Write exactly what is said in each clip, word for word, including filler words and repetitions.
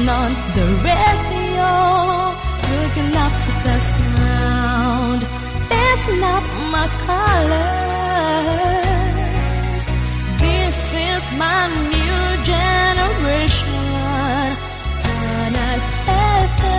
Turn on the radio, looking up to the sound. It's not my colors. This is my new generation. Canal F M.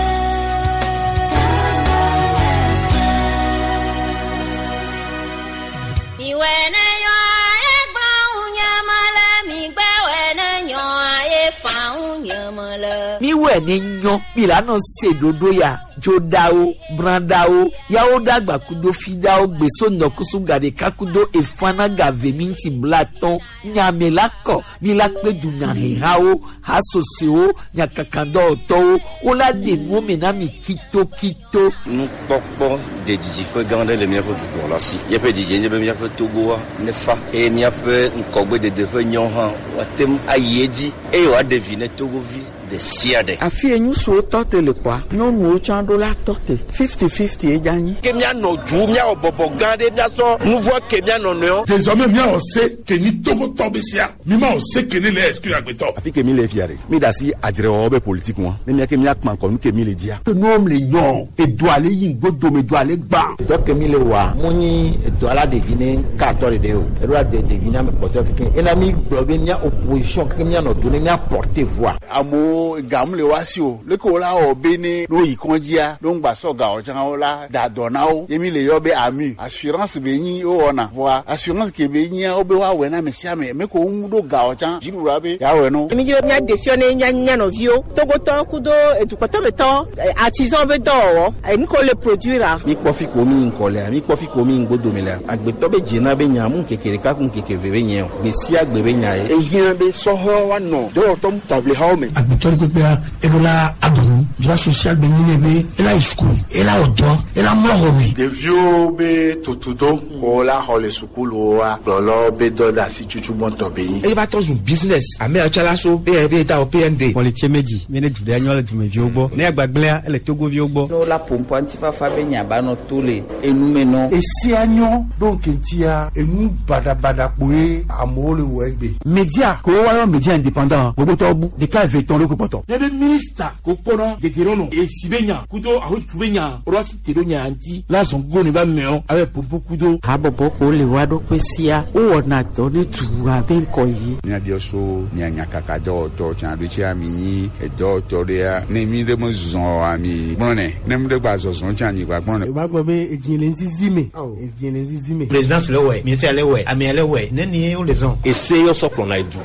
Mi wɛ ne nyɔ mi la nɔ se ɖoɖo ya dzoɖawo brãɖawo yawo ɖagba kudo fiɖawo gbeso nɔkusu gaɖeka kudo efana gave mi ŋuti blatɔn nyame la kɔ mi la kpe dunyahehawo hasosewo nyakakadɔwɔtɔwo wola ɖe nuwo me na mi kitokito. Nukpɔkpɔ de didiƒe gã aɖe le míaƒe dukplɔla si. Míaƒe didie nye be míaƒe Togoa nefa eye míaƒe ŋkɔgbedede ƒe nyɔ hã woate ŋu ayi edzi eye wòaɖe vi ne Togovi ɖe sia ɖe. Afi ye ŋutsuwo tɔ te le kɔa, nyɔnuwo tsã ɖo la tɔ te fifty fifty ye dza nyi. Ke míanɔ du míawɔ bɔbɔ gã ɖe míasɔ nu vɔ ke míanɔ nɔewo. Désormais míawɔ se ke nyi Togotɔ be sia mi ma wɔ se ke ne le exclure agbetɔ. Afi ke mi le fia ɖe mi da asi adzrewɔwɔ be politique ŋua ne mía ke míakpã kɔ nu ke mi le dzia. Nuwo le nyɔ edo ale yi ŋgodome do ale gbã. Dɔ ke mi le wa mu nyi edo ala ɖevi ne katɔ ɖeɖe o eɖo la de ɖevi ne ame kpɔtɔ keke ena mi gblɔ be mía opposition keke míanɔ do ne mía porter voix. Amewo gamu le wa si o leke wo la wɔ be ne no yi kɔndzia no ŋgba sɔ gawɔ tsã wo la da dɔ na wo ye mi le yɔ be ami assurance be nyi wo wɔna voa assurance ke be nyia wo be woawɔe na ame sia ame me ko ŋu ɖo gawɔ tsã dziɖuɖua be yeawɔe no. Mi dzi be mía ɖe fiɔ ne mía mía nɔviwo Togotɔ kudo edukɔtɔmetɔ artisan be dɔwɔwɔ enu ko le produire a. Mi kpɔ fi ko mi ŋkɔ lea mi kpɔ fi ko mi ŋgodome lea agbetɔ be dzena be nya mu ŋkeke ɖeka ku ŋkeke eve be nye o gbe sia gbe be nya ye. Ehiã be sɔhɔ woanɔ dɔwɔtɔ taʋlihawo me. Agbetɔ ɖe kpekpea eɖo la aɖu droit social be nyi ne be ela yi sukulu ela wɔ dɔ ela mlɔ xɔ me. Ɖeviwo be tutudo ko la xɔ le sukuluwoa kplɔlɔ be dɔ de asi tutu gbɔntɔ be nyi. Eye va trɔ zu business ame yawo tsã la so B N B da o P N D. Kpɔlitse medzi mi ne du ɖe nyɔ le dumeviwo gbɔ ne agbagblẽa ele Togoviwo gbɔ. Ne wola ƒoƒoa ŋutifafa be nya ba nɔ to le enume nɔ. Esia nyɔ ɖo ŋkeŋtia enu baɖabaɖa kpoe amewo le wɔ egbe. Media ko woayɔ media indépendant gbogbotɔwo bu ɖeka eve tɔn ɖo kpɔtɔ. Ne be minista ko kpɔnɔ dedenɔnɔ esi be nya kudo ahotu be nya ɔlɔ ti te ɖo nya ŋuti la zɔn gogo ne ba mɛɔ abe pompo kudo. Habɔbɔ ko le wa ɖokui sia wowɔna dɔ ne dua be ŋkɔ yi. Míabiɔ so mia nyakaka dɔwɔtɔ tsã ɖo tsia mi nyi edɔwɔtɔ ɖea ne mi ɖe me zɔ ami gblɔnɛ ne mi ɖe gba zɔzɔ tsã anyi gba gblɔnɛ. O b'a gbɔ be edzi le ŋzizi me edzi le ŋzizi me. Présidence le wɛ ministère le wɛ amea le wɛ ne ni wo le zɔn. Ese yɔ sɔ kplɔna edu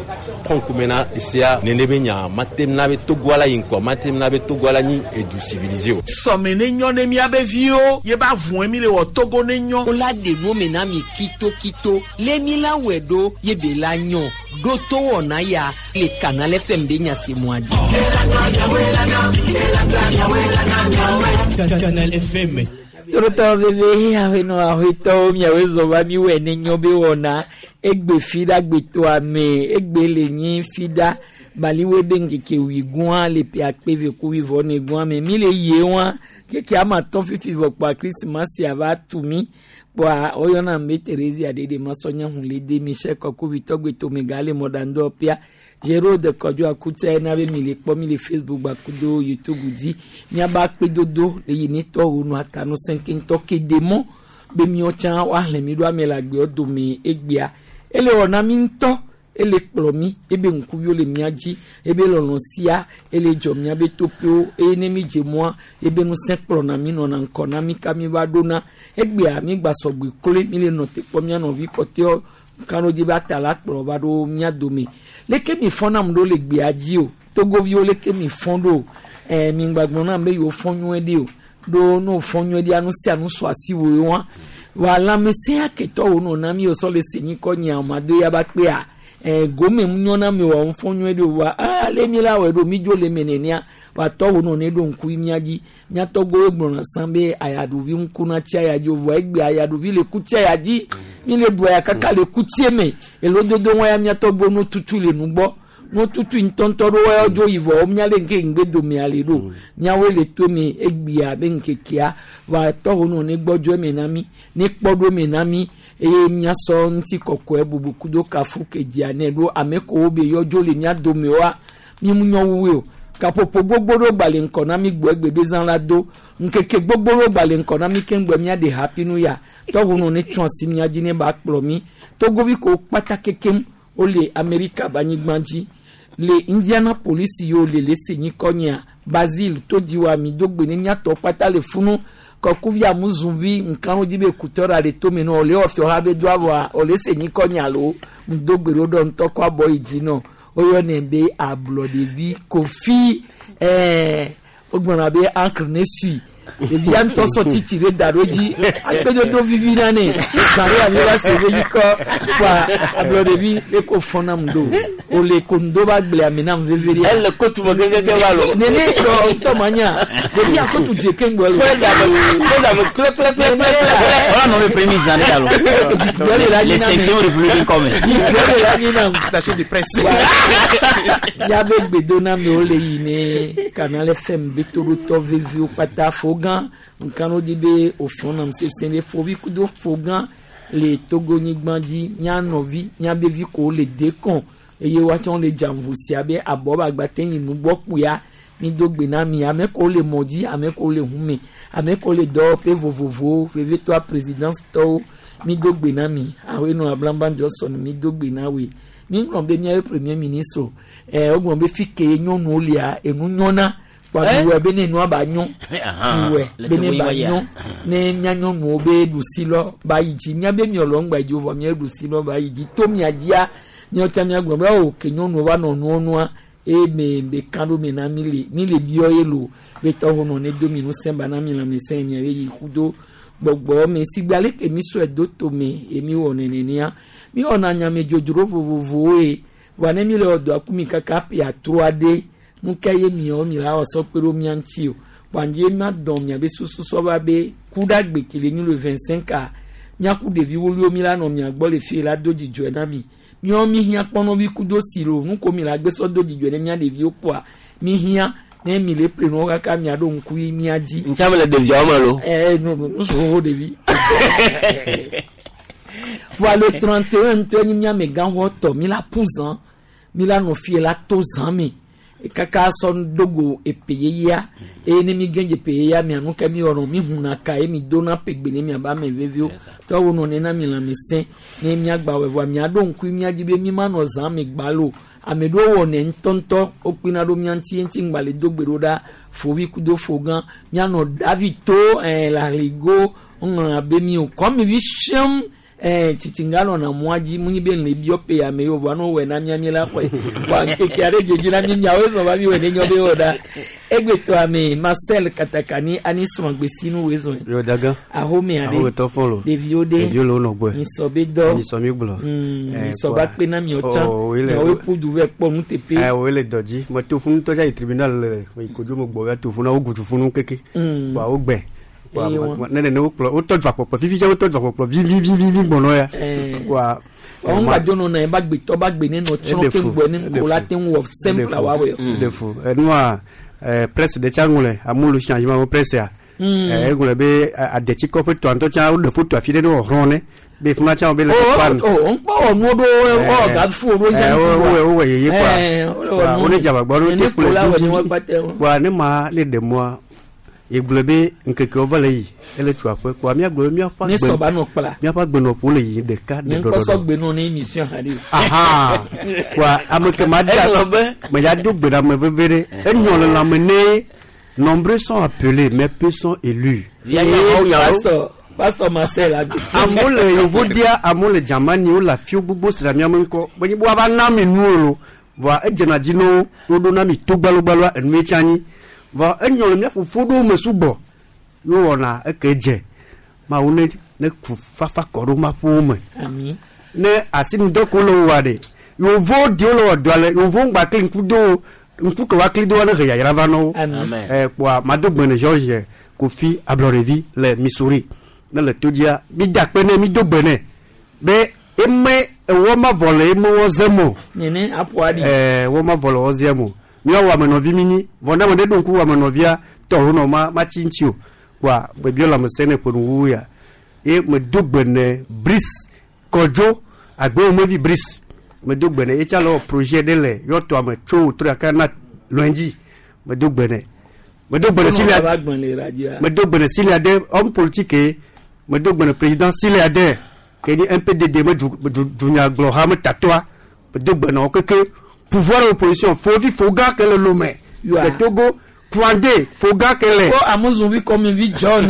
tɔnkume na esea nene be nya matem na be Togoa la yi ŋkɔ matem na be Togoa la nyi edu civilisé o. Sɔme ne nyɔ ne miabe viwo ye ba vɔn mi le wɔ Togo ne nyɔ. Wola ɖe nuwo me na mi kitokito le mi la wɔe ɖo ye be la nyɔ ɖo to wɔna ya le Canal F M be nyasemua dzi. Canal F M. Torotɔ veve ahenɔ ahetɔwo miawoe zɔ va mi wɔ ne nyɔ be wɔna egbe fi ɖa gbetoa me egbe le nyi fi ɖa baliwo be ŋkeke wigua le pe akpe ve ku wivɔ ne gua me mi le yie wa keke ama tɔ fifi vɔ kpoa krisimasi ava tu mi kpoa woyɔna me Teresia ɖeɖe masɔnya hun le de Michel Kɔkuvitɔ gbetome ga le mɔɖaŋdɔ pia Jérôme Kɔdzo Akutse na be mi le kpɔ mi le Facebook gbakudo YouTube dzi miaba akpedodo le yi ne tɔwo nu atanu sɛnkɛntɔ ke de mɔ be miɔ tsã woahlẽ mi ɖo ame le agbewo dome egbea ele wɔ na mi ŋutɔ ele kplɔ mi ebe ŋkuviwo le mia dzi ebe lɔlɔ sia ele dzɔ mia be toƒewo eye ne mi dze mɔa ebe ŋusẽ kplɔna mi nɔna ŋkɔ na mi ka mi va ɖona egbea mi gba sɔgbe kloe mi le nɔ te kpɔ mia nɔvi kpɔtɛwo kanodzi be ata la kplɔ va ɖo mia dome leke mi fɔn nam ɖo le gbea dzi o Togoviwo leke mi fɔn ɖo ɛɛ mi gbagblɔ nam be yewo fɔn nyuie ɖi o ɖo ne wo fɔn nyuie ɖia nu sia nu sɔ asi wo wa wa lãmesẽ aketɔwo nɔ na mi o sɔ le senyi kɔ nye amado ya ba kpea ɛɛ gome nyɔ na mi wɔ fɔn nyuie ɖi o wa aa le mi la wɔ ɖo mi dzo le me nenia wa tɔwo nɔ ne ɖo ŋku mia dzi miatɔgbowo gblɔna sã be ayaɖuvi ŋku na tsi aya dzi o vɔa egbe ayaɖuvi le ku tsi aya dzi mi le ɖu aya kaka le ku tsie me elododo wɔn ya miatɔgbo no tutu le nugbɔ no tutu ŋutɔŋutɔ ɖo wɔn dzo yi vɔ mia le ŋke ŋgbe dome ale ɖo miawoe le to me egbea be ŋkekea wa tɔwo nɔ ne gbɔdzɔ me na mi ne kpɔ ɖo me na mi eye miasɔ ŋuti kɔkɔe bubu kudo kafu kedzia ne ɖo ame kowo be yɔ dzo le mia dome wa mi mu nyɔ wuwe o. Kaƒoƒo gbogbo ɖewo gba le ŋkɔ na mi gbɔ egbe be zã la do. Ŋkeke gbogbo ɖewo gba le ŋkɔ na mi keŋ gbɔ mía ɖe hapi nu ya. Tɔʋunu ne tsɔ asi mía dzi ne ba kplɔ mi. Togovi ko kpata kekem wole Amerika be anyigba dzi. Le Indianapolis yiwo le le se nyikɔ nyea Basile todziwa mi do gbe ne míatɔ kpata le funu. Kɔkuvi amuzuvi nkanu dzi be kutɔ ɖa le tome nɔ ole ɔfiɔ ha be do avɔa ole se nyikɔ nya lo ŋdo gbe ɖo ɖɔ ŋutɔ kɔ abɔ yi dzi nɔ woyɔnɛ be ablɔɖevi Kofi ɛɛ wogblɔna be encre ne sui ɖevia ŋutɔ sɔ titi ɖe da ɖo dzi akpedodo vivi na ne zã ɖe ami va se be nyikɔ kɔa ablɔɖevi le ko fɔn nam do ole ko ŋdo ba gblẽ ami nam veve ɖe. Ele kotu me kekeake va lo. Nene tɔ tɔ ma nya ɖevia kotu dze keŋgbɔ lo. Fue dame fue dame kple kple kple kple kple. Wala nɔ be premier zan ɖe alo. Le cinquième république kɔme. Dzidzɔ le anyi nam. Attaché de presse. Miabe gbedoname le yi ne Canal F M be toɖotɔ veviwo kpata fogã nkanu di be ofɔn nam sese ɖe fovi kudo fogã le Togo-nyigba dzi mía nɔvi míabe vi ko le dekɔn eye woatsɔ le dzamvu sia be abɔ be agbate yi nugbɔ kpuia mi do gbe na mi ame ko le mɔ dzi ame ko le hume ame ko le dɔwɔƒe vovovowo vevietɔa présidence tɔwo mi do gbe na mi ahenɔ Ablamba Johnson mi do gbe na woe mi ŋlɔ be míabe premier ministre ɛ wogblɔ be fi ke nyɔnuwo lia enu nyɔna kpa miwɔe be ne nua ba nyɔ miwɔe be ne ba nyɔ ne mía nyɔnuwo be ɖusi lɔ ba yi dzi míabe miɔlɔ ŋgba yi dzi o vɔ mía ɖusi lɔ ba yi dzi to mia dzia míawo tsã míagblɔ be o ke nyɔnuwo va nɔ nuwo nua eye me be kan ɖo me na mi le mi le biɔ ye lo be tɔwo nɔ ne do mi ŋusẽ ba na mi lãmesẽ mia be yi ku do gbɔgbɔ me sigbe ale ke mi sɔe do tome ye mi wɔ nenenia mi wɔna nyame dzodzro vovovowo ye vɔa ne mi le wɔ dɔa ku mi kaka ƒe atro aɖe nu ka ye miawo mi la wɔ sɔ kpe ɖo mia ŋuti o kpandzie ma dɔn miabe susu sɔ va be ku ɖe agbe ke le nyi le vingt cinq a miaku ɖevi woluiwo mi la nɔ mia gbɔ le fie la do dzidzɔe na mi miawo mi hiã kpɔnɔvi ku do si lo nu ko mi la gbe sɔ do dzidzɔe ne mia ɖeviwo kpɔa mi hiã ne mi le ƒle nuwo kaka mia ɖo ŋku yi mia dzi. Ntsa me le ɖeviawo me lo. Ɛɛ nu nu xoxo ɖevi. Voa le trente et un ŋutɔ nyi mia amegãxɔ tɔ mi la ƒu zã mi la nɔ fie la to zã me kaka sɔ dogo epe yeyea eye ne mi gɛn epe yeyea mia nu ke mi wɔnɔ mi huna ka ye mi dona pegbe ne miaba ame veviwo tɔwo nɔ nena mi lãmesẽ ne miagba wɔ vɔa miaɖo ŋku mia dzi be mi ma nɔ zã me gbalo ame ɖewo wɔnɛ ŋutɔŋutɔ wokpina ɖo mia ŋuti ŋuti ŋgba le do gbe ɖo ɖa fovi kudo fogã mianɔ davi to ɛɛ le ahligo ŋlɔ abe mi o kɔmi vi siam Eh, titinga nɔna mɔa dzi mu nyi be le biɔ pe ame yiwo vɔa ne wowɔe na mía mi la xɔe vɔa ŋkeke aɖe dzedzi na mi miawoe zɔ va mi wɔe ne nyɔ be wɔ ɖa egbetɔ ame Marcel Katakani ani srɔ̃gbesinu woe zɔe Yo daga. ahome aɖe Ahome tɔ fɔlɔ. ɖeviwo ɖe Ɖeviwo le wo nɔ gbɔe. nyisɔ be dɔ Nyisɔ mi gblɔ. Mm, Eh, nyisɔ kɔa. ba kpe na miɔ tsã Oh, wo le- miawoe ƒu du vɛ kpɔ nuteƒe Eh, wo le dɔ dzi. Me to funu tɔ dza yi tribunal le yi kodzo me gbɔ va to funu wo gudu funu keke. Mm. Kɔa wo gbɛ. Kɔa Eye ma- wa- ma- ne nene wo kplɔ wo tɔ dzɔ akpɔkplɔ fifi dza wo tɔ dzɔ akpɔkplɔ vivivivi gbɔnɔ ya. Eh. Kɔa. wɔn gba dzo nɔ na ye ba gbetɔ ba gbe ne nɔ tsrɔ̃ Eɖe ke fu, ŋgbɔ ne eɖe ŋko la fu. te ŋu wɔ simple wa wɔ Eɖe fu. Enua eh, presse ɖe tsã ŋlɔe amewo le changement wo presse ya. Mm. Eh, egblɔ be adetsikɔ ƒe tɔa ŋutɔ tsã woɖe foto afi ɖe ne wòhlɔ̃ ne be funa tsã wo be le kpɔkpɔ nu. o ŋkpɔ wɔ nuwo ɖo wɔ gafu wo ɖo Eh, dza wo- wo- wowɔ yeye kɔa. Eh, wole wɔ Kɔa, nu. wo ne dze agbagba ɖo Ne te kplɔe ko la wɔ dzi ne dzi. woa kpata wo. Kɔa ne ma ne ɖe mɔa egblɔ be ŋkekewo va le yi ele tu aƒe kɔa míagblɔ be míaƒe Ne agbe- sɔ ba nɔ kpla. míaƒe agbenɔƒewo le yiyim ɖeka Nye ɖe ŋkpɔ sɔ ɖɔɖɔɖɔ. gbe nɔ ne émission hã ɖe o. Aha kɔa ame ke ma da Egblɔ be- me ya do gbe ɖe ame veve ɖe enyɔ le lãme ne nombreux sont appelés mais peu sont élus. Via nyawo nyawo. Pasteur Pasteur Marcel Agbesi. Amewo le Yevodia, amewo le Germany, wole afiwo gbogbo si le míaƒe ŋkɔ. Menye be woava na mi nuwo lo. Vɔa edzena dzi na wo, woɖo na mi to gbalogbaloa enue tsi anyi. Vɔ enyɔ le mía fofo ɖewo me sugbɔ. Ye wowɔna eke dze. Mawu ne ne ku fafa kɔ ɖo maƒowo me. Ami. Ne asinudɔ ko le wowɔa ɖe, yevowo diwo le wɔ dɔa le, yevowo ŋgba kli ŋku do wo, ŋku ke woakli do wo ne he yayra va na wo. Amen. Eh, kpoa mado gbe ne George Kofi Ablɔɖevi le Missouri. Ne le to dzia, mi da akpe nɛ, mi do gbe nɛ be eme ewɔ ma vɔ le eme wɔ zem o. Nene aƒo aɖi. Ɛɛ wɔ ma vɔ le wɔ zem o. Míawo amenɔvi mi nyi. Vɔ ne ame ɖe ɖo ŋku amenɔvia tɔ ho nɔ ma ma tsi ŋuti o. Kpoa gbebiɔ lãmesẽ ne ƒe nuwuwu ya. Ye medo gbe ne Brice Kɔdzo agbewomevi Brice. Medo gbe ne etsa le wɔ projet ɖe le yɔtɔa me tso wòtrɔ gake na lundi. Medo gbene. Medo gbene Silia. Medo gbene Silia de homme politique. Medo gbene président Silia de ke ni M P D D me du dunya glo ha me tatoa. Medo gbene keke pouvoir opposition fovi foga ke le Lomé. Le Togo Kwande foga ke le. Ko amuzun vi comme vi John.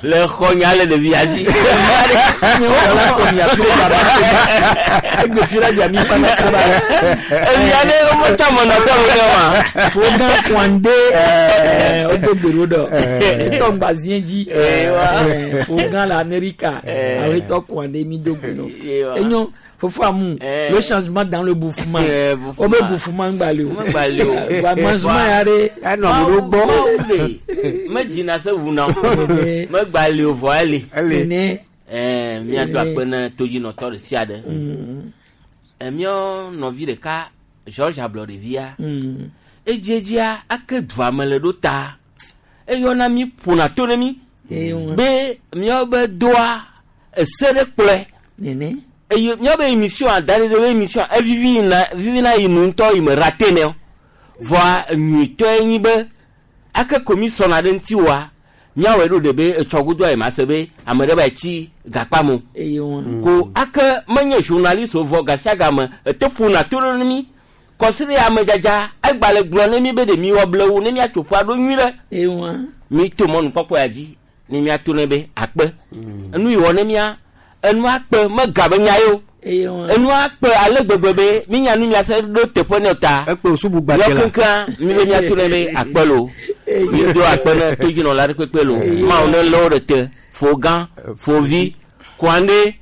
Le khonya le de viazi. Ni o la ko mi afire baba. Egbe fira dia mi pa na kaba. Eya ne o mo ta mo na ko le wa. Foga Kwande eh o do gbero do. To gbazien ji. Eh foga la America. Awe to Kwande mi do gbero. Enyo fofo amu le changement dans le bouffement. O be bouffement ngbale o. Ngbale o. Wa mangement ya re. E no mo gbo. Me jina se wuna. Me gbale o vo ele. Ele. Eh mi ado akpe toji no to sia de. Eh mi o novi de ka George Ablorevia. Ejejia ake dua me le do ta. E yo na mi pona to ne mi. Be mi o be doa e se de kple. Nene. E mi o be émission a dale de émission e vivi na vivi na inu nto i me raté ne. Voa nyi to enyi be ake commission ade nti wa. Miawe do de be etsogudo e masebe amede ba chi gakpamo ko ake menye journaliste vo gasiaga me etepu na toro ni considère amejaja egbale gblɔ ne mi be de mi wɔ blewu ne mi atsoƒu aɖo nyui ɖe mi to mɔnu kpɔkpɔ ya dzi ne mi ato ne be akpe enu yi wɔ ne mia enu akpe mega be nya ye o enu akpe ale gbegbe be mi nya nu mia se ɖo teƒe ne ta yɔ kenkea mi be mia to ne be akpe lo mi do akpe ne todzinɔla ɖe kpekpe lo mawo ne lɔ wo ɖe te fogan fovi Kwande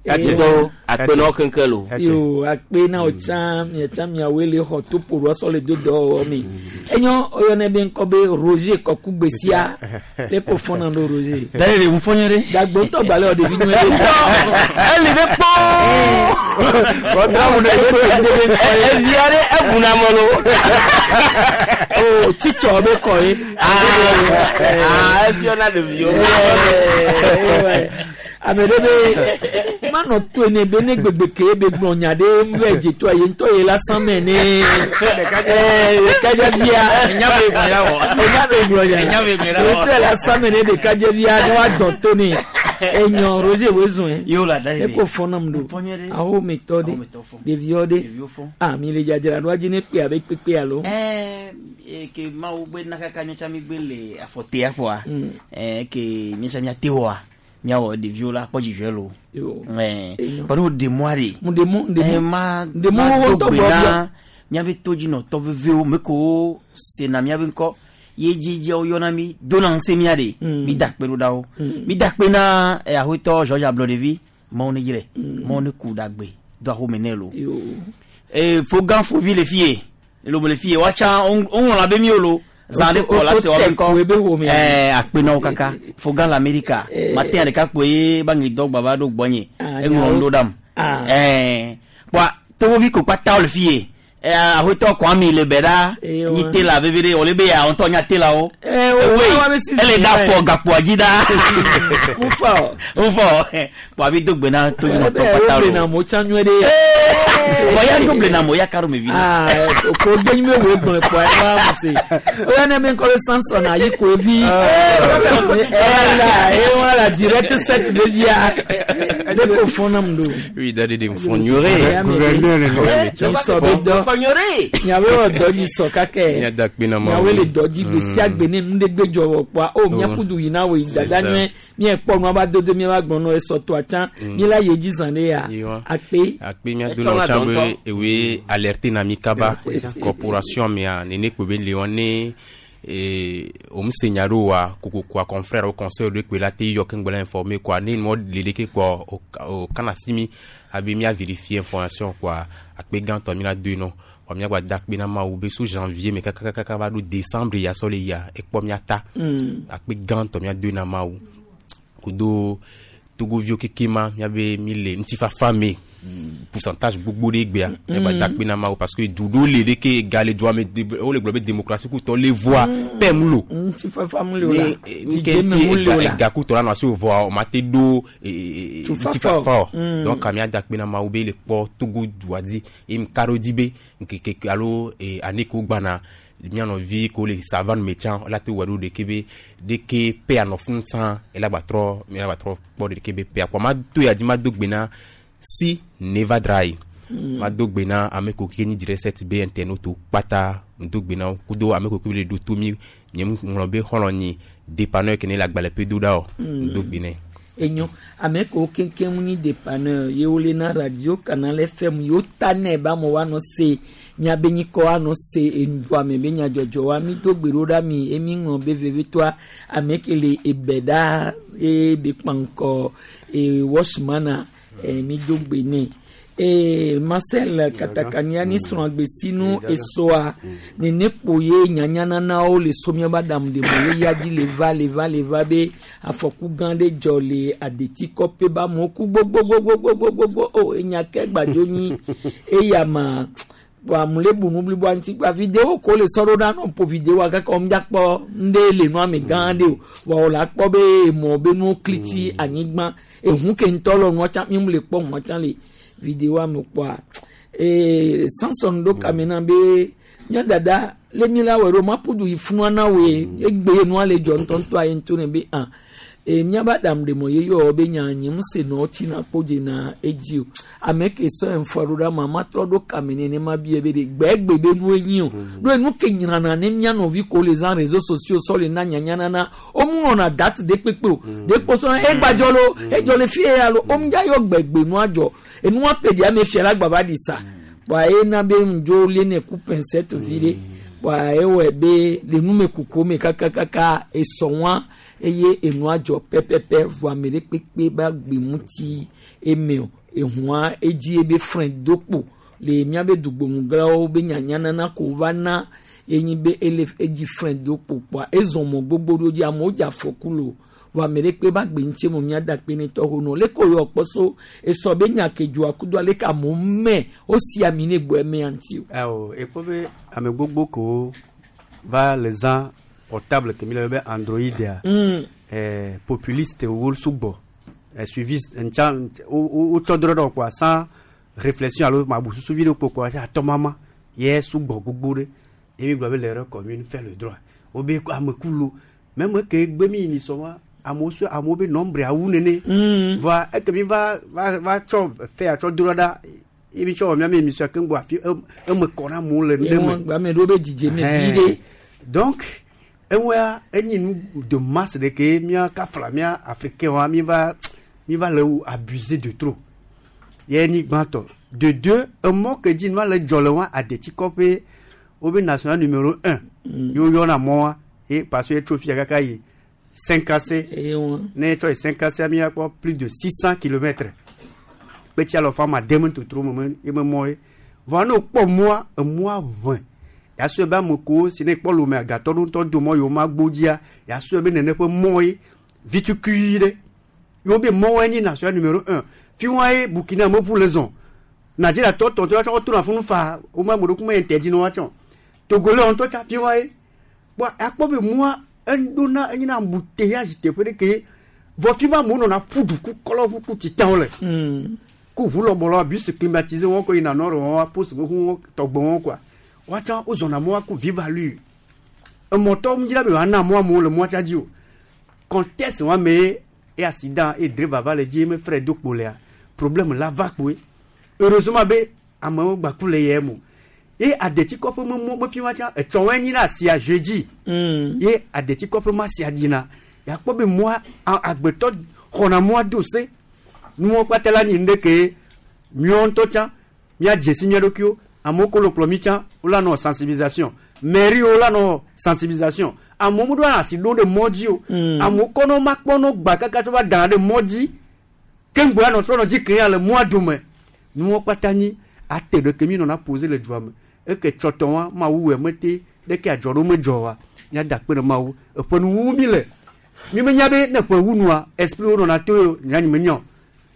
do akpe na wo keŋkeŋ lo. Yo akpe na wo tsã miatsã miawoe le xɔ to ƒo ɖoa sɔ le do dɔwɔwɔ me. Enyo oyɔ ne be ŋkɔ be Roger Kɔkugbe sia le ko fɔna ɖo Roger. Daye le ŋu fɔnyɛ ɖe. Dagbo ŋutɔ gbalẽ wɔ ɖevi nyuie ɖe. Eli ɖe kpɔ. Evia ɖe ebuna me lo. O tsitsɔ be kɔ ye. Aa efiɔ na ɖeviwo. Ame ɖe be manɔ to ne be ne gbegbe ke be gblɔ nya ɖe ŋu dze to ye ŋutɔ ye la san mɛ ne ɖekadze via enya be gblɔ ya wɔ enya be gblɔ nya enya be gblɔ ya wɔ ŋutɔ la san mɛ ne ɖekadze via ne wa dɔn to ne enyɔ Roger wo zɔn ye yewo la da de e ko fɔ nam do awo me tɔ de ɖeviwo de ah mi le dzadzra ɖo adzi ne kpe abe kpekpe alo. Ɛɛ ke mawu gbe nakaka nyɔtsa mi gbe le afɔtea kpoa ɛɛ ke nyɔtsa mia te wɔa. Miawo ɖeviwo la kpɔ dzidzɔe lo. Ɛɛ kpɔɖo ɖemɔa ɖe. Ɖemɔ ɖemɔ ma ma do gbe na miabe todzinɔtɔ vevewo me ko sena miabe ŋkɔ ye dzidziawo yɔna mi dona ŋusẽ mia ɖe. Mi da kpe ɖo ɖa wo. Mi da kpe na aƒetɔ George Ablɔɖevi mawo ne dzrɛ mawo ne ku ɖagbe do axome nɛ lo. Ee fogan fovi le fie lobo le fie woatsa woŋlɔ abe mi o lo. Zan ko la se wa ko eh akpe na kaka fogan la America matin le ka kpoe ba ngi dog baba do gbonye e nglo ndo dam eh kwa to vi ko pata le fie eh ahoto kwa mi le beda ni te la vevere o le be ya onto nya te la o eh o ele da fo gapo ajida mufo mufo kwa bi dogbe na to no to pata lo na mo chanyu de o ya double na mo ya karo me vi ah ko gbe mi wo gbon po e wa mo se o ya na me ko Samson ayi ko vi eh la e wa la direct sept de via le ko fona mdo oui d'aller des fonyore gouverneur le so be do fonyore nyawe o do ni so kake nyawe le do di gbe si agbe ne nu de gbe jowo pa o mi apudu yi na we dada nue mi e po nu aba dodo mi aba gbon no e so to achan mi la ye ji zan de ya akpe akpe mi ado na chan be ewe alerter na mi kaba corporation mi a nene ko be le one et o msenyaro wa koko kwa confrère au conseil de que la te yo kengbola informé quoi ni mo leleke quoi au kanasimi abi mi a vérifier information quoi akpe ganto mi la deux non wa mi agba dakpe na ma oube sous janvier mais kaka kaka va do décembre ya sole ya e po mi ata akpe ganto mi a deux na ma ou kudo togovio kekema mi abe mi le ntifa famé pourcentage beaucoup de gbea e ba dakpe na ma parce que dudo le de ke gale droit mais o le globe démocratie ku to le voix pemlo ntifa famlo la ni ke ga ku to la na so voix o ma te do ntifa fa donc amia dakpe na ma oube le po togo duadi e m karodi be ke ke alo e aneko gbana Mianɔvi ko le savane me tsã la te wɔ ɖo ɖeke be ɖeke pe anɔ fún tsã ela gba trɔ ela gba trɔ kpɔ ɖeke be pe akpɔ ma to ya dzi ma do gbe na si neva dry Mm. ma do gbe na ame ko ke nyi direct be internaute kpata do gbe na wo kudo ame ko ke le do to mi nye ŋlɔ be xɔlɔ nyi dépanneur ke ne le agbalẽ pe do ɖa o Mm. do gbe nɛ. Enyo ame kewo keŋkeŋ nyi dépanneur ye wole na radio Canal F M yewo ta nɛ be amewo anɔ se miabe nyikɔ anɔ se enuɖuame be nyadzɔdzɔwoa mi do gbe ɖo ɖa mi emi ŋlɔ be vevitɔa ame ke le ebe ɖa eye be kpa ŋkɔ e washmana e mi do gbe nɛ ee Marcel Katakania ni srɔ̃ agbesinu esoa nene kpo ye nyanyananawo le so miabe aɖaŋu ɖe ye ya dzi le va le va le va be afɔku gã ɖe dzɔ le adetikɔƒe be amewo ku gbogbogbogbogbogbo o enya ke gbadzo nyi eya ma kpɔ amu le bu nu bliboa ŋuti kpa video ko le sɔ ɖo ɖa nɔ ƒo videoa kaka wɔm dzakpɔ ŋɖe le nua me gã ɖe o vɔ wòle akpɔ be emɔ be nuwo klitsi anyigba ehu ke ŋutɔ le nua tsã mi le kpɔ hua tsã le videoa me kpɔa ee Samson ɖo kame na be mía dada le mi la wɔ ɖo maƒu du yi funua na woe egbe nua le dzɔ ŋutɔŋutɔa ye ŋutɔ ne be ah e míabe aɖaŋu ɖe mɔ ye yɔ be nya nye ŋusẽ nɔ tsina kpo dzena edzi o ame ke sɔ ŋfɔ ɖo ɖa ma ma trɔ ɖo kame nenema bie be ɖe gbɛgbe be nue nyi o ɖo enu ke nyrana ne mía nɔvi ko le zã réseaux sociaux sɔ le na nyanyanana wo mu nɔna date de kpekpe o de kpɔsɔ egbadzɔ lo edzɔ le fie ya lo wo mu dza yɔ gbɛgbe nua dzɔ enua pe ɖi ame fia la gbava ɖi sa kpɔa ena be ŋdzo le ne ku pincette vi ɖe kpɔa ewɔe be le numekuku me kakakaka esɔ wa eye enua dzɔ pɛpɛpɛ vɔ ame ɖe kpekpe ba gbe ŋuti eme o ehua edzi ebe frein do kpo le miabe dugboŋuglawo be nyanyanana ko va na enyi be ele edzi frein do kpo kpoa ezɔ mɔ gbogbo ɖo dzi amewo dze afɔku lo vɔ ame ɖe kpe ba gbe ŋuti mo miada kpe ne tɔ ho nɔ leke yɔ kpɔ so esɔ be nya ke dzoa kudo aleke amewo mɛ wosi ami ne gbɔ eme ŋuti o. Awo ekpɔ be ame gbogbo ko va le zã portable ke mi le be Android ya. Mm. Eh, populiste wo sugbɔ eh, suiviste ntsa wo tsɔ drɔ ɖe kpoa sans réflexion alo mabu susu vi ɖe kpo kpoa atɔmama ye sugbɔ gbogbo ɖe ye mi gblɔ be l'erreur commune fait le droit wo be ame ku lo même ke gbe mi ni sɔ wa amewo sɔ amewo be nombre awu nene voa eke mi va va va tsɔ fɛ atsɔ drɔ ɖa ye mi tsɔ wɔ miame émission keŋ gbɔ afi eme kɔ na amewo le nu ɖe me ame ɖewo be dzidzeme vi ɖe. Donc eŋua enyi nu de masse de ke mía kafla mía africain wa mi va mi va le wo abuser de trop ye ni gbãtɔ de deux emɔ ke dzi nua le dzɔ le wa adetikɔƒe wo be national numéro un ye wo yɔna mɔ wa ye parce que etso fia kaka yi Cinkassé ne etsɔ yi Cinkassé mi akpɔ plus de six cent kilomètres kpetsi alɔfa ma dem totro me me ye me mɔ ye vɔa ne wokpɔ mɔa emɔa ʋẽ yasɔe be ame kewo si ne kpɔ lome agatɔ ɖo ŋutɔ do mɔ yewo ma gbo dzia yasɔe be nene ƒe mɔ ye vitukui ɖe yewo be mɔwoe nyi national numéro un fi wa ye Burkina meƒu le zɔn Nigeria tɔ tɔ tɔ tsɔ tona funu fa wo ma ame ɖokui me interdit na woatsɔ Togolais ŋutɔ tsa fi wa ye kpɔ akpɔ be mɔa eɖona enyina embouteillage teƒe ɖe ke vɔ fi ma amewo nɔna ƒu du ku kɔlɔʋu ku titawo le ku ʋu lɔbɔlɔ bus climatisé wɔn ko yina nord wɔn poste ʋu wɔn tɔgbɔ wɔn quoi woatsã wozɔna mɔa ku vive allure emɔtɔ ŋdzra be woana mɔ amewo le mɔa tsa dzi o contexte wa me ye e accident e driver va le dzi me frein do kpo lea problème la va kpoe heureusement be amewo gba ku le yɛ mo ye adetikɔƒe me mɔ mefi wa tsã etsɔ wɔe nyi na asia jeudi ye adetikɔƒe ma sia dzina yakpɔ be mɔa agbetɔ xɔna mɔa do se nuwo kpata la nyi nu ɖe ke miawo ŋutɔ tsã míadze si mía ɖokuiwo amewo ko le kplɔ mi tsã wola nɔ sensibilisation mairie wo la nɔ sensibilisation amewo meɖo asi ɖo ɖe mɔ dzi o amewo kɔnɔ ma kpɔnɔ gba kaka tsɔ va dana ɖe mɔ dzi keŋgbo anɔ trɔ nɔ dzi ke ya le mɔa dome nuwo kpata nyi ate ɖe ke mi nɔna poser le dua me eke tsɔtɔ wa mawu wɔ mete ɖeke adzɔ ɖo medzɔ wa míada akpe ɖe mawu eƒe nuwuwu mi le mi menya be ne ƒe wu nua esprit wo nɔna to yo nyanyi menya o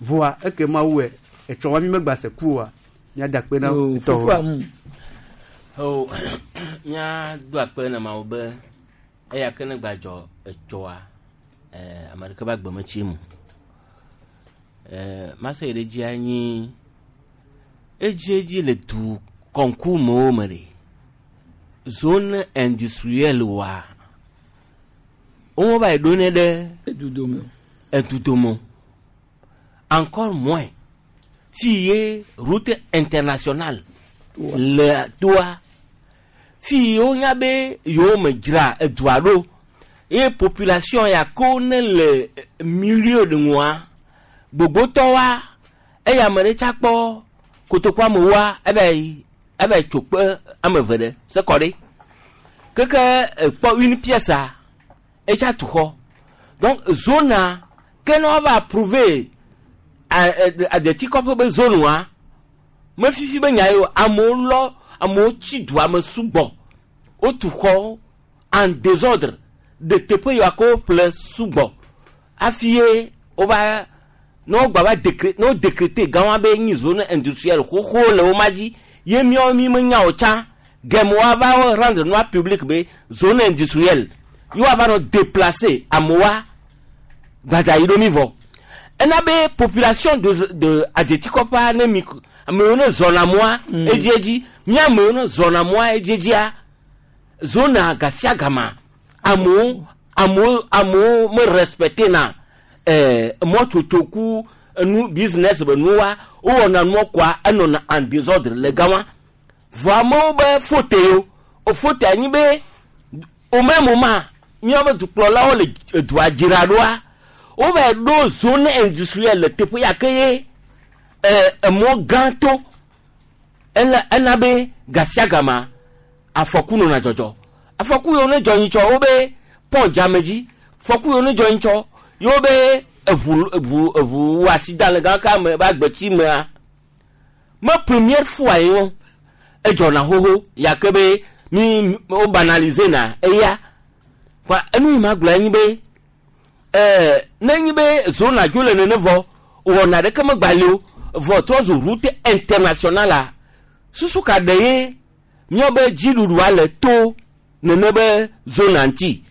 voa eke mawu wɔ etsɔ wa mi megba se ku oa míada akpe na tɔwo. o mía do akpe na mawu be eya ke ne gbadzɔ etsɔa ɛɛ ame ɖeke be agbe metsi mu ɛɛ mase yi ɖe dzia nyi edziedzi le du kɔnkumewo me ɖe Zone industrielle wa wo va yi ɖo ne ɖe edudome edudome encore moins fi ye route internationale le toa fi wonya be yewo me dzra edua ɖo ye population ya ko ne le milieu de ŋua gbogbotɔwoa eya ame ɖe tsa kpɔ kotoku amewoa ebe yi ebe tso kpe ame eve ɖe se kɔ ɖe keke ekpɔ une pièce a etsa tu xɔ donc zone a ke ne woava approuver adetikɔƒe be zone wa mefifi be nya yi o amewo lɔ amewo tsi dua me sugbɔ wotu xɔ en désordre de teƒe yiwa ko ƒle sugbɔ hafi ye wova ne wogba va décré ne wo décréter gã wa be nyi zone industrielle xoxo le wo ma dzi ye míawo mi menya o tsã gɛmɛ woava wo rendre nua public be zone industrielle ye woava nɔ déplacer amewoa gbadza yi ɖo mi vɔ ena be population de de adzetikɔƒea ne mi amewo ne zɔna mɔa edziedzi mía amewo ne zɔna mɔa edziedzia zona gasia gama amewo amewo amewo me respecte na ɛɛ mɔtsotso ku enu business be nuwa wowɔna nua koa enɔna en désordre le gama vɔ amewo be faute yo o faute anyi be au même moment míawo be dukplɔlawo le edua dzra ɖoa wova ɖo zone industrielle le teƒe ya ke ye ɛɛ emɔ gã to ena ena be gasia gama afɔku nɔna dzɔdzɔ afɔku yiwo ne dzɔ nyitsɔ wo be pɔn dzame dzi fɔku yiwo ne dzɔ nyitsɔ yewo be eʋu eʋu eʋu wɔ accident le gã ka me be agbetsi mea me première fois ye wo edzɔna xoxo ya ke be mi wo banaliser na eya kpa enu yi ma gblɔ enyi be ɛɛ ne nyi be zone dzo le nene vɔ wɔna ɖeke megba li o vɔ trɔ zu route internationale la susu ka ɖe ye míawo be dziɖuɖua le to nene be zone ŋuti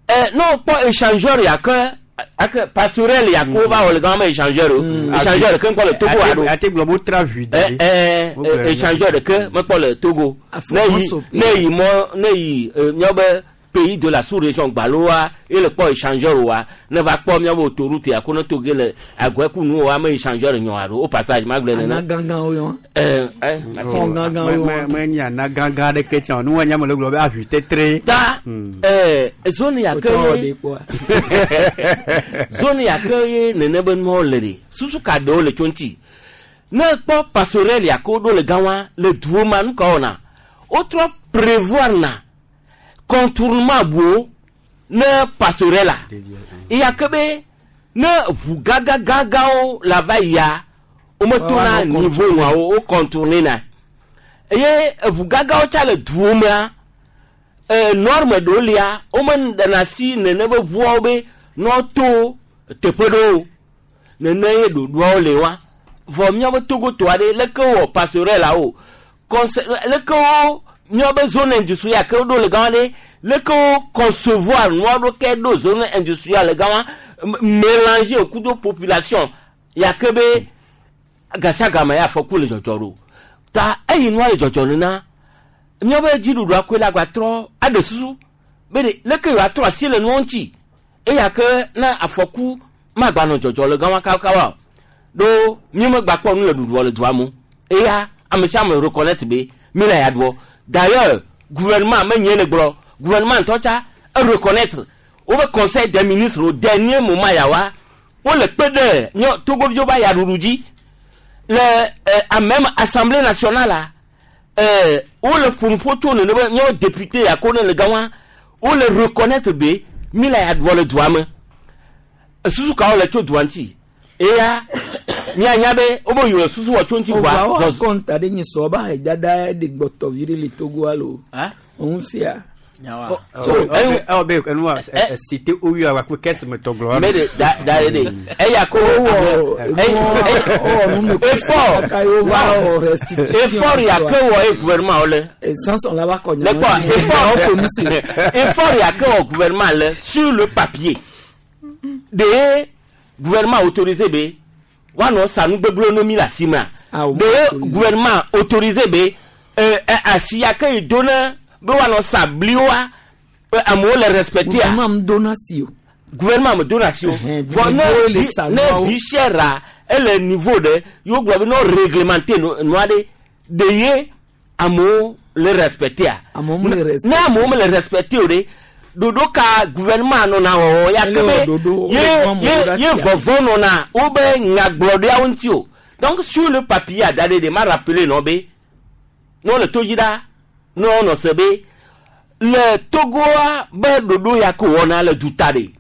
ɛ ne wokpɔ échangeur ya ke ake passerelle ya ke wova wɔ le gama me échangeur o échangeur ɖeke ŋkpɔ le Togo alo ate gblɔ be wotra ʋui da ɛ ɛ échangeur ɖeke mekpɔ le Togo ne yi ne yi mɔ ne yi míawo be pays de la sous-région gbaloa ele kpɔ échangeur wa ne va kpɔ míawo autoroute ya ko ne toge le agɔɛku nu wa me échangeur nyɔ alo au passage ma gblɔ nene ana gãgãwo yɔ ɛ ɛ Xɔ gãgãwo yɔ me nye ana gãgã ɖeke tsã o nu wa nya me le gblɔ be aʋui tetre ta ɛ zone ya ke Wotɔ ye ɖe kpɔa. zone ya ke ye nene be nuawo le ɖe susu ka ɖewo le tso ŋuti ne kpɔ passerelle ya ke woɖo le gã wa le duwo ma nu ka wɔna wotrɔ prévoir na contournement buwo ne passerelle la eya ke be ne ʋu gãgãgãgãwo la va yia wometona Woanɔ niveau ŋuawo wo contourner na eye eʋu gãgãwo tsa le duwo mea e norme ɖewo lia womeɖena asi nene be ʋuawo be nɔto teƒe ɖewo nene ye ɖoɖoawo le wa vɔ míawo Togo to aɖe leke wɔ passerelle la o conse leke wo míawo be zone industrielle ke woɖo le gama ɖe leke wo concevoir nua ɖo ke ɖo zone industrielle le gama mélanger kudo population ya ke be gasiagame ya afɔku le dzɔdzɔ ɖo ta eyi nua le dzɔdzɔ nena míawo be dziɖuɖua koe la gba trɔ aɖe susu be ɖe leke yewoatrɔ asi le nua ŋuti eya ke ne afɔku magba nɔ dzɔdzɔ le gama kawakawa o ɖo míemegba kpɔ nu le ɖuɖuɔ le dua me eya ame sia ame reconnaître be mi le ya ɖuɔ d'ailleurs gouvernement menye le gblɔ gouvernement ŋutɔ tsa e reconnaître wobe conseil des ministres au dernier moment yawa wole kpe ɖe míɔ togoviwo be ayaɖuɖu dzi le ɛ même assemblée nationale la ɛ wole ƒonuƒo tso nene be míawo député ya ko ne le gama wole reconnaître be mi le ya ɖuɔ le dua me susu kawo le tso dua ŋuti eya míanya be wobe yiwo le susu wɔ tso ŋuti vɔa Ovawo zɔzɔ akɔnta ɖe nyi sɔ ba dada ɖe gbɔtɔ vi ɖe le Togo alo òun sia. ewɔ be enua cité oyo awakpe kɛse me tɔ gblɔ mɛ de da da de de eya ko effort effort ya ke wɔ ye gouvernement le Sanson la va kɔ le kpɔ effort effort ya ke wɔ gouvernement le sur le papier de ye gouvernement autorisé be woanɔ sa nugbegblẽwo ne mi le asi mea de ye gouvernement autorisé be eh, eh, asi ya ke yi do ne be woanɔ sa bliwoa be amewo le respecter a Gouvernement dona si o. Gouvernement me dona si o. Vɔ ne niveau le vi- sa ne nuawo. vie chère a ele niveau ɖe yewo gblɔ be ne wo réglementer nu- nua ɖe de ye amewo le respecter a Amewo mele ne amewo mele respecter o ɖe ɖoɖo ka gouvernement nɔna wɔwɔ ya ke Ele wɔ be ɖoɖo, wole ye fɔ amewo ye ɖe ye asia. vɔvɔ nɔna wobe nyagblɔɖiawo ŋuti o. Donc sur le papier a da ɖe de ma rappeler nɔ be ne wole to dzi ɖa ne wonɔ se be le Togoa be ɖoɖo ya ke wɔna le duta ɖe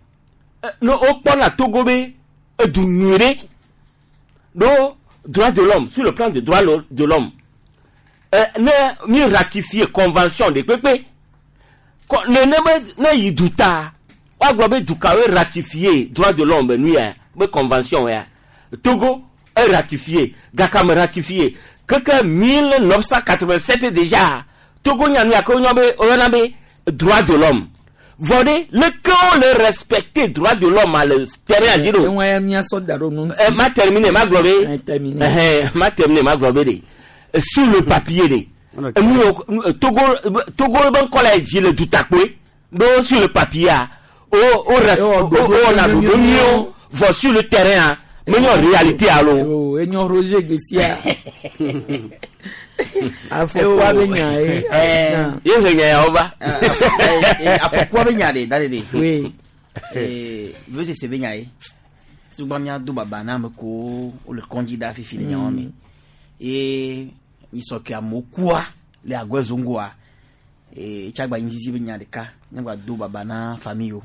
Eh, ne wokpɔna Togo be edu nyui ɖe ɖo droit de l'homme, sur le plan de droit lo- de l'homme, Eh, ne mi ratifier convention de kpekpe Kɔ- nene be ne yi duta woagblɔ be dukawoe ratifier droit de l'homme be nu ya be convention ya Togo e ratifié gaka me ratifié keke mille neuf cent quatre-vingt-sept déjà. Togo nya nu ya ke woyɔna be woyɔna be droit de l'homme vɔ ɖe leke wole respecter droit de l'homme a le terrain dzi ɖo. Eŋua ya míasɔ da ɖo nu ŋuti. Eh, ma terminer ma gblɔ be Eh, terminer. Ɛhɛn, ma terminer ma gblɔ be de Eh, sur le papier de enu yo nu- Togo Togo be ŋkɔ le dzi le dutakpoe ɖo sur le papier a o o res o o wɔna ɖoɖo nyuiwo vɔ sur le terrain a menye réalité alo. O enyo Roger Gbesia. Afɔkua be nya ye. Accident. Ye he nya yawo va. Afɔkua be nya ɖe da ɖe ɖe. Oui. Vevesese be nya ye sugba mía do baba na ame kowo wole kɔndzi da fifi le nyawo me ye nyisɔ ke amewo kua le agɔe zongoa ee tsagba nyizizi be nya ɖeka míagba do baba na famille wo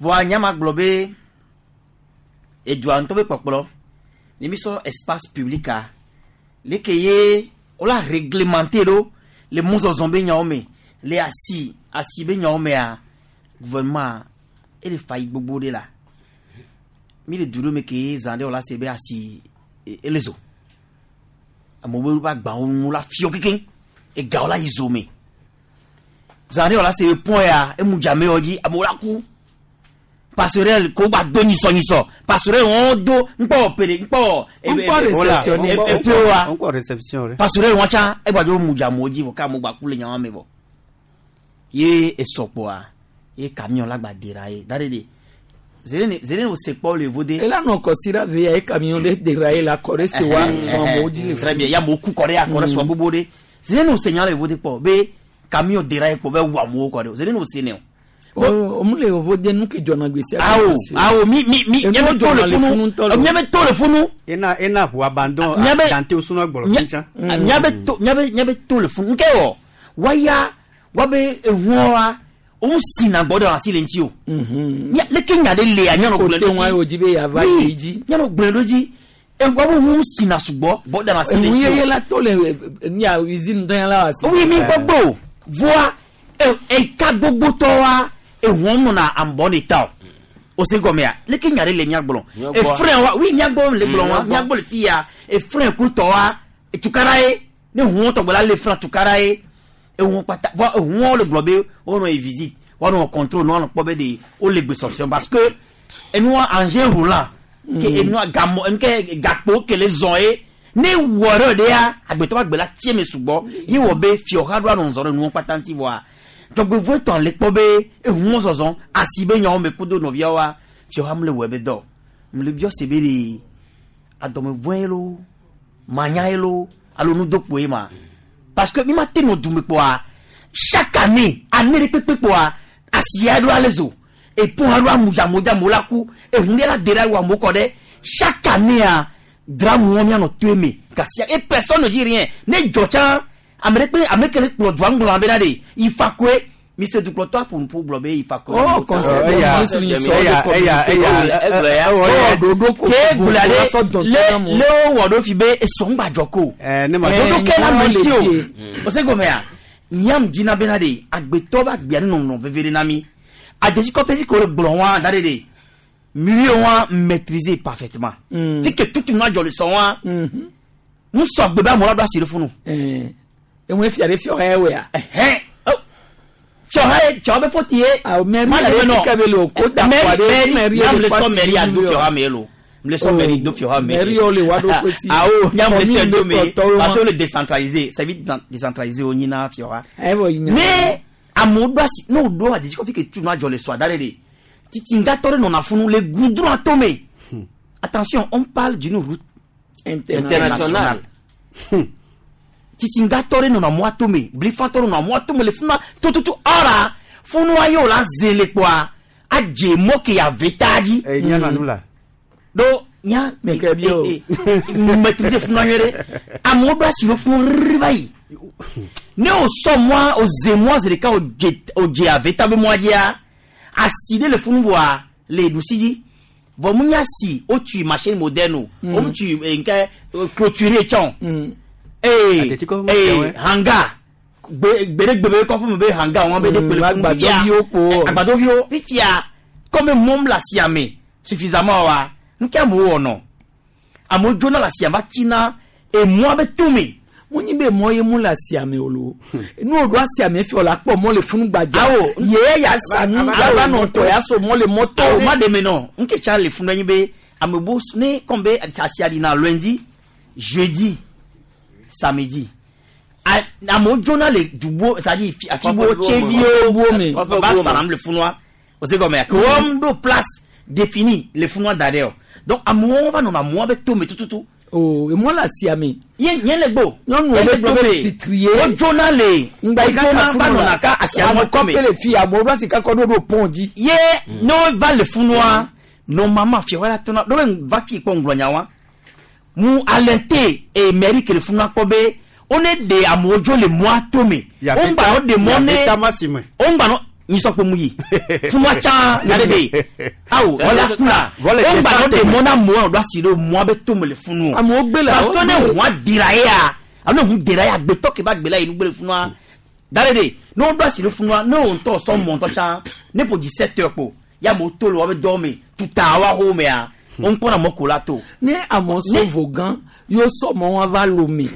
vɔa nyama gblɔ be edua ŋutɔ be kpɔkplɔ ne mi sɔ espace public a leke ye wola réglementer ɖo le mɔzɔzɔ be nyawo me le asi asi be nyawo mea gouvernement ele fa yi gbogbo ɖe la mi le du ɖe me ke zã ɖe wola se be asi e- ele zo amewo be woƒe agbawo nu la fiɔ kekeŋ egawo la yi zo me zã ɖe wola se be pɔn ya emu dzame wɔ dzi amewo la ku passerelle ko gba do nyisɔ nyisɔ passerelle wɔn do ŋkpɔ pere ŋkpɔ Ŋkpɔ réceptionné. epewa Encore réception. passerelle wɔn tsã egba dzo mu dza amewo dzi vɔ ke amewo gba ku le nyawo me vɔ ye esɔkpoa ye camion la gba dera ye da ɖe de zere zere wo se kpɔ le vo de. Ela nɔ kɔsi ɖe ve ya ye camion ɖe déraillé la kɔ ɖe se wa zɔn amewo dzi le Très bien, ya amewo ku kɔ ɖe akɔ ɖe sua gbogbo ɖe zere ne wo se nya le vo de kpɔ be camion déraillé kpɔ bɛ wu amewo kɔ ɖe zere ne wo se ne o. O mu le vovo de nu ke dzɔna gbe sia. Awo awo mi mi mi Enu miabe to dzɔna le funu ŋutɔ le. Miabe to le funu. Ena ena ʋu abandon Miabe- accidenté o sunɔ gblɔ Mia- fitsa. miabe to miabe miabe to le funu nke wɔ waya wabe ehuɔa wo sina gbɔ ɖe asi le ŋuti o. Mia- leke nya ɖe lea mianɔ gblɔe Kote ŋua ɖo wo dzi be yeava Oui, yi dzi. mianɔ gblɔe ɖo dzi wabe hu sina sugbɔ gbɔ ɖe asi le Enu ŋuti yeye o. la to le nia usine dɔnya la wa si. Oui, mi gbogbo voa eka gbogbotɔwa ehuɔ nɔna ambɔ ne ta o o se gɔmea leke nya ɖe le miagblɔ Miagbɔ. efrɛn wa oui miagbɔ le gblɔ wa Mm, miagbɔ. miagbɔ le fi ya efrɛn kutɔ wa tukara ye ne huɔ tɔgbe la le frɛn tukara ye ehuɔ kpata voa ehuɔ le gblɔ be wonɔ yi visite wɔnɔ contrôle ne wɔnɔ kpɔ be de wole gbesɔsɔ parce que enua engin roulant ke enua gamɔ enu ke gakpo ke le zɔn ye ne wɔ ɖe ɖea agbetɔ be agbe la tsie me sugbɔ ye wɔ be fiɔha ɖo anɔ zɔ ɖe nuwo kpata ŋuti vɔa tɔgbevo etɔn le kpɔ be ehuɔ zɔzɔ asi be nyawo me kudo nɔviawoa fiɔha mu le wɔ be dɔ mu le biɔ se be de adɔmevɔe lo manyae lo alo nudokpoe ma parce que mi ma te nɔ dume kpoa chaque année année ɖe kpekpe kpoa asia ɖo ale zo epon ɖo amudzamodzamo la ku ehun ɖe la de ɖe awu amewo kɔ ɖe chaque année a dramu wɔm mianɔ to eme gasia et personne ne dit rien ne dzɔ tsã ame ɖe kpe ame ke le kplɔ dua ŋgblɔ bena de ifa koe mise dukplɔtɔ aƒo nuƒo gblɔ be ifa koe. Oh, conseil des ministres eya sɔ de eya eya communiqué. eya ɖoɖo ko ke vovo gblɔ la ɖe sɔ dɔn le tɔna mo. le wowɔ ɖo fi be esɔngbadzɔ ko. ne ma ɖoɖo ke la Eh, nɔ ŋuti o le o se gɔmea nyam dzina bena de agbetɔ be agbea ne nɔnɔ veve ɖe na mi adesikɔƒe fi ke wole gblɔ wa da ɖe de milieu wa maîtriser parfaitement Mm. fi ke tutu nua dzɔ le sɔ wa Mhm. ŋusɔ agbe be amewo la ɖo asi ɖe funu. Eh, eŋue fia ɖe fiɔ hɛ wea. Ɛhɛn fiɔha ye fiɔha be foti ye. Awo mɛri Ma yɛrɛ le fi ka be le o ko da mɛri kɔ ɖe mɛri mɛri nyam yɛrɛ le kɔ sɔ asi mɛri ado milieu. fiɔha me ye lo. Le sɔ mairie do fiɔha me. Mairie wo le wa ɖo kosi. Awo nya me Commune sɔ do be me kpɔtɔwo parce ma. que le décentralisé service décentralisé wo nyina fiɔha. Evɔ yi nya. Ne amewo ɖo asi ne wo ɖo adidi kɔfi ke tu nua dzɔ le sɔa da ɖe de titingatɔ ɖe nɔna funu le goudron atome. Attention, on parle d'une route Internationale. Titingatɔ ɖe nɔna mɔ atome, blifatɔ ɖe nɔna mɔ atome le funua tututu ɔra funua ye o la ze le kpoa adze mɔ ke ave ta dzi. Eh, nya na nu la. Do nya Meke bi o. eh, eh, maîtriser funua nyuie ɖe amewo ɖo asi ɖo funu rrr va yi ne o sɔ mɔa o ze mɔa zi ɖeka o dze o dze ave ta be mɔa dzia asi ɖe le funu vɔa le ɖusi dzi vɔ mu nya si o tui machine moderne o Mm. o mu tui eh, nke eh, clôturé tsɔn Mm. ee Ateti kɔ ee fɛn wɛ. hanga gbe gbeɖegbe be kɔfɛ me be hanga wɔn be de Mm, kpele funu agbadɔviwo kpo. agbadɔviwo fifia comme mɔm le asia me suffisamment wa nu ke amewo wɔnɔ amewo dzona le asia va tsina emɔa be tome mo nyi be mɔ ye mu le asia me o lo nu o ɖo asia me fi o la kpɔ mɔ le funu gbadza Awo. ye ya sa nu Awo. ya va nɔ tɔ ya so mɔ le mɔtɔ awo ma de me nɔ nke tsa le funu anyi be ame bo ne comme be asia ɖina lundi, jeudi, samedi, A- amewo dzona le dubo, c'est à dire afibo tseviwo Bo me. va saram le funua o se gɔmɛ ke wɔm ɖo place définie le funua da ɖe o donc amewo va nɔna mɔa be tome tututu o emɔ le asia me ye nye le gbo nyɔnuwo Nye le be gblɔ tome be titri ye wodzona le ŋgba yi wodzona kaka va funu nɔna la ka asia mɔ tome kɔpe le fi amewo ɖo asi kakɔ ɖo ɖo pɔn dzi ye ne wova le funua normalement fiawo la tɔna ɖo be va fi kpɔ ŋgblɔ nya wa mu alerte e mairie ke le funua kpɔ be wo ne de amewo dzo le mɔa tome wo ŋgba no de mɔ ne ta ma si me. wo ŋgba no nyisɔkpo mu yi funua tsã na de be awo wala kuna wo Vɔle ŋgba no de tese mɔ na amewo ɖo asi ɖo mɔa be tome le funu o amewo gbe le parce que ne ʋua dira yea alo ne ʋu dira yea agbetɔ ke va gbe la yi nugbe le funua da ɖe de ne wo ɖo asi ɖo funua ne wo ŋutɔ sɔ mɔ ŋutɔ tsã ne ƒo dzi sept heures kpo ya amewo to le woabe dɔwo me tuta wa xɔ mea wo ŋkpɔna mɔ ko la to ne amewo sɔ vo gã yewo sɔ mɔ wa va lome